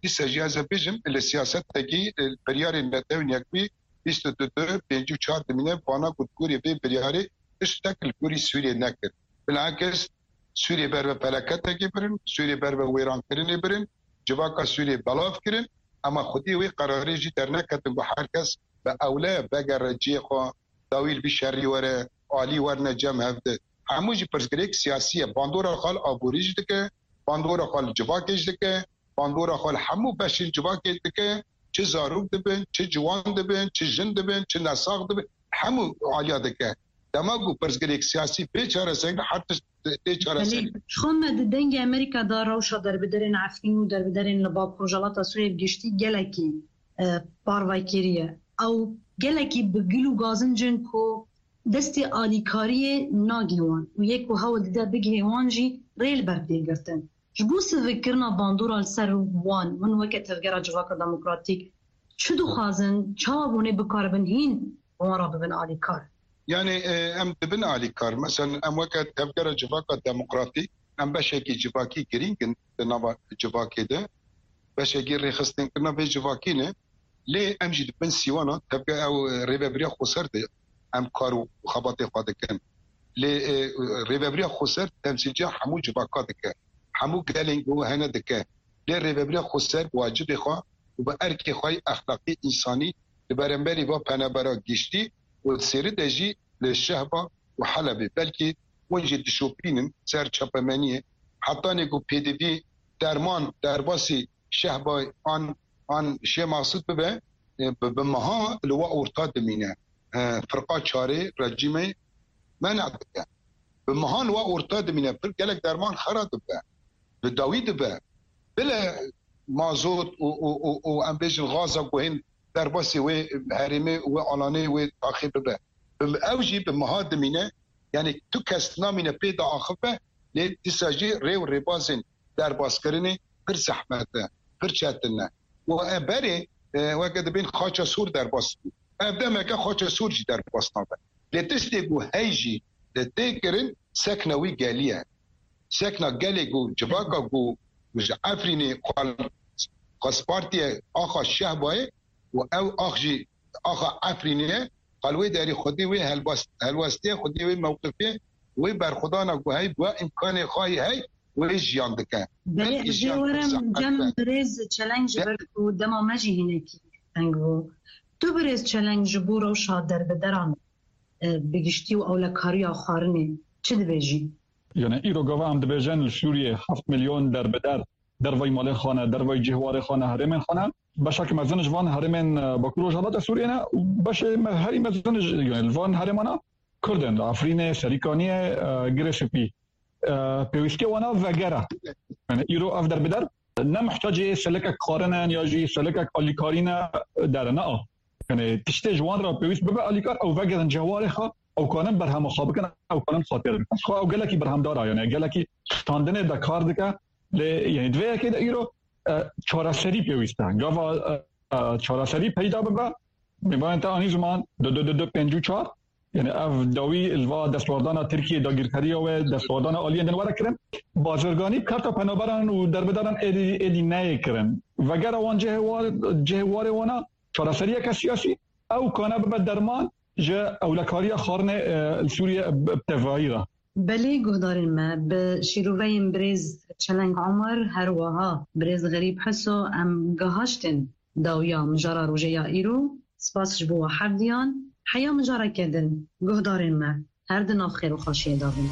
Dîsa jî ez ê bêjim, li siyasetekî, e, biryarên Netewên Yekbûyî bîst û du, pêncî û çar dimîne, vana ku di gorî vê biryarê tiştek li gorî Sûriyê nekir. Bilakis Sûriyê ber bi felaketekê birin, Sûriyê ber bi wêrankirinê birin, civaka Sûriyê belav kirin, ema xwedî wê qerarê jî derneketin ku her kes bi ewle vegere cihê xwe, dawî li vî şerî were, alî werine cem hev de. Hemû jî pirsgirêk siyasî ye. Bandora xwe li aborî jî dike, bandora xwe li civakê jî dike, bandora xwe li hemû beşên civakê dike. Çi zarok dibin, çi ciwan dibin, çi jin dibin, çi nesax dibin, hemû aliya dike. Dema ku pirsgirêk siyasî bê çareserî, her tişt tê çareserî. Belê, ji xwe me di Dengê Amerîka de rewşa derbiderên Efrîn û derbiderên li Bakur Rojhilata Sûriyê bi giştî gelekî, e, parve kiriye. Ew gelekî bi gil û gazincin ku destê alîkariyê nagihê wan û yê ku hewl dide bigihê wan jî rê li ber tê girtin. Ji bo sivikkirina bandora li ser wan, hûn weke Tevgera Civaka Demokratîk çi dixwazin, çawa hûn ê bikaribin hîn wan re bibin alîkar? Yani, e, em dibin alîkar. Mesela em weke Tevgera Civaka Demokratîk, em beşekî civakî girîng in di nava civakê de. Beşekî rêxistinkirina vê civakî ne. Lê em jî di bin sîwana tevge ew, e, rêvebiriya xweser de em kar û xebatê xwe dikin. Lê, e, rêvebiriya xweser temsîlciya hemû civaka dike. Hemû gelên ku hene dike. Lê rêvebiriya xweser bi wacibê xwe û bi erkê xwe yê exlaqî, însanî li beramberî va penebera giştî û di sêrî de jî li Şehba û Helebê. Belkî hûn jî dişopînin ser çapemeniyê. Hetanê ku pêdivî derman derbasî Şehba an, an Şêx Maqsûd bibe, e, bi, bi meha li we orta dimîne. E, firqa çarê rejîmê mena dike. Bi meha li we orta dimîne. Pir gelek derman xera dibe. Bi dawî dibe. Bile mazot û, û, û, û em bêjin gaza ku hên derbasî wê herêmê, wê alanê, wê taxê bibe. Bi, ew jî bi meha dimîne. Yani tu kes namîne pê de axive, lê dîsa jî rê û rêbazên derbaskirinê pir zehmet e, pir çetin e. Û e berê, e, weke dibên xaça sor derbas bû. Ev demeke xaça sor jî derbas nabe. Lê tiştê ku hey jî li tê kirin sekna wî gelî ye. Sekna gelê ku civaka ku ji Efrînê xwe, xwe spartiye axa Şehbayê û ew ax jî axa Efrînê ye, qal wê derî xwedî wê helbas-, helwestiye, xwedî wê mewqifê, wê berxwedana ku hey bi îmkanê xwe yê hey wê jiyan dike. Belê, belkî ez ê jiyan pir werim zehmet cem be. Birêz Çeleng ji ber ku dema me jî hinekî teng bû. Tu birêz Çeleng ji bo rewşa derbideran, e, bi giştî û ewlekariya xwarinê çi dibêjî? Yani îro gava em dibêjin li Sûriyê heft milyon derbider dervayî malên xwe ne, dervayî cihwarê xwe ne, herêmên xwe ne. Beşek mezin ji van herêmên, e, Bakur Rojhilata Sûriyê ne û beşê me-, herî mezin ji, yani li van herêmana Kurd in, li Efrînê, Serîkaniyê, e, Girê Spî. E, pêwîstiya wana vegere. Yani îro ev derbider ne mihtacê selekek xwarin in ya jî selekek alîkarî ne, derin, a. Yani tiştê ji wan re pêwîst bibe alîkar, ew vegerin cihwarê xwe, ew kanin berhema xwe bikin, ew kanin xatir bikin. Xwe ew gelekî berhemdar a, yani gelekî standinê de kar dike. Lê yani di vê yekê de îro, e, çareserî pêwîst e. Gava, e, e, çareserî peyda bibe, mêvanên te anî ziman, du du du du pêncî û çar, yani ev dawî li va destwerdana Tirkiyê, dagirkeriya wê, destwerdana aliyên din were kirin. Bazirganî bi karta penaberan û derbideran êdî, êdî neyê kirin. Vegera wan cihê war-, cihê warê wana çareseriyeke siyasî, ew kane bibe derman ji ewlekariya xwarinê, e, li Sûriyê bi, bi tevayî re. Belê guhdarên me, bi şîroveyên birêz Çeleng Omer, her wiha birêz Xerîb Heso em gihaştin dawiya mijara rojê ya îro. Spas ji bo we hevdiyan. Heya min careke din, guhdarên me, her di nav xêr û xweşiyê de bin.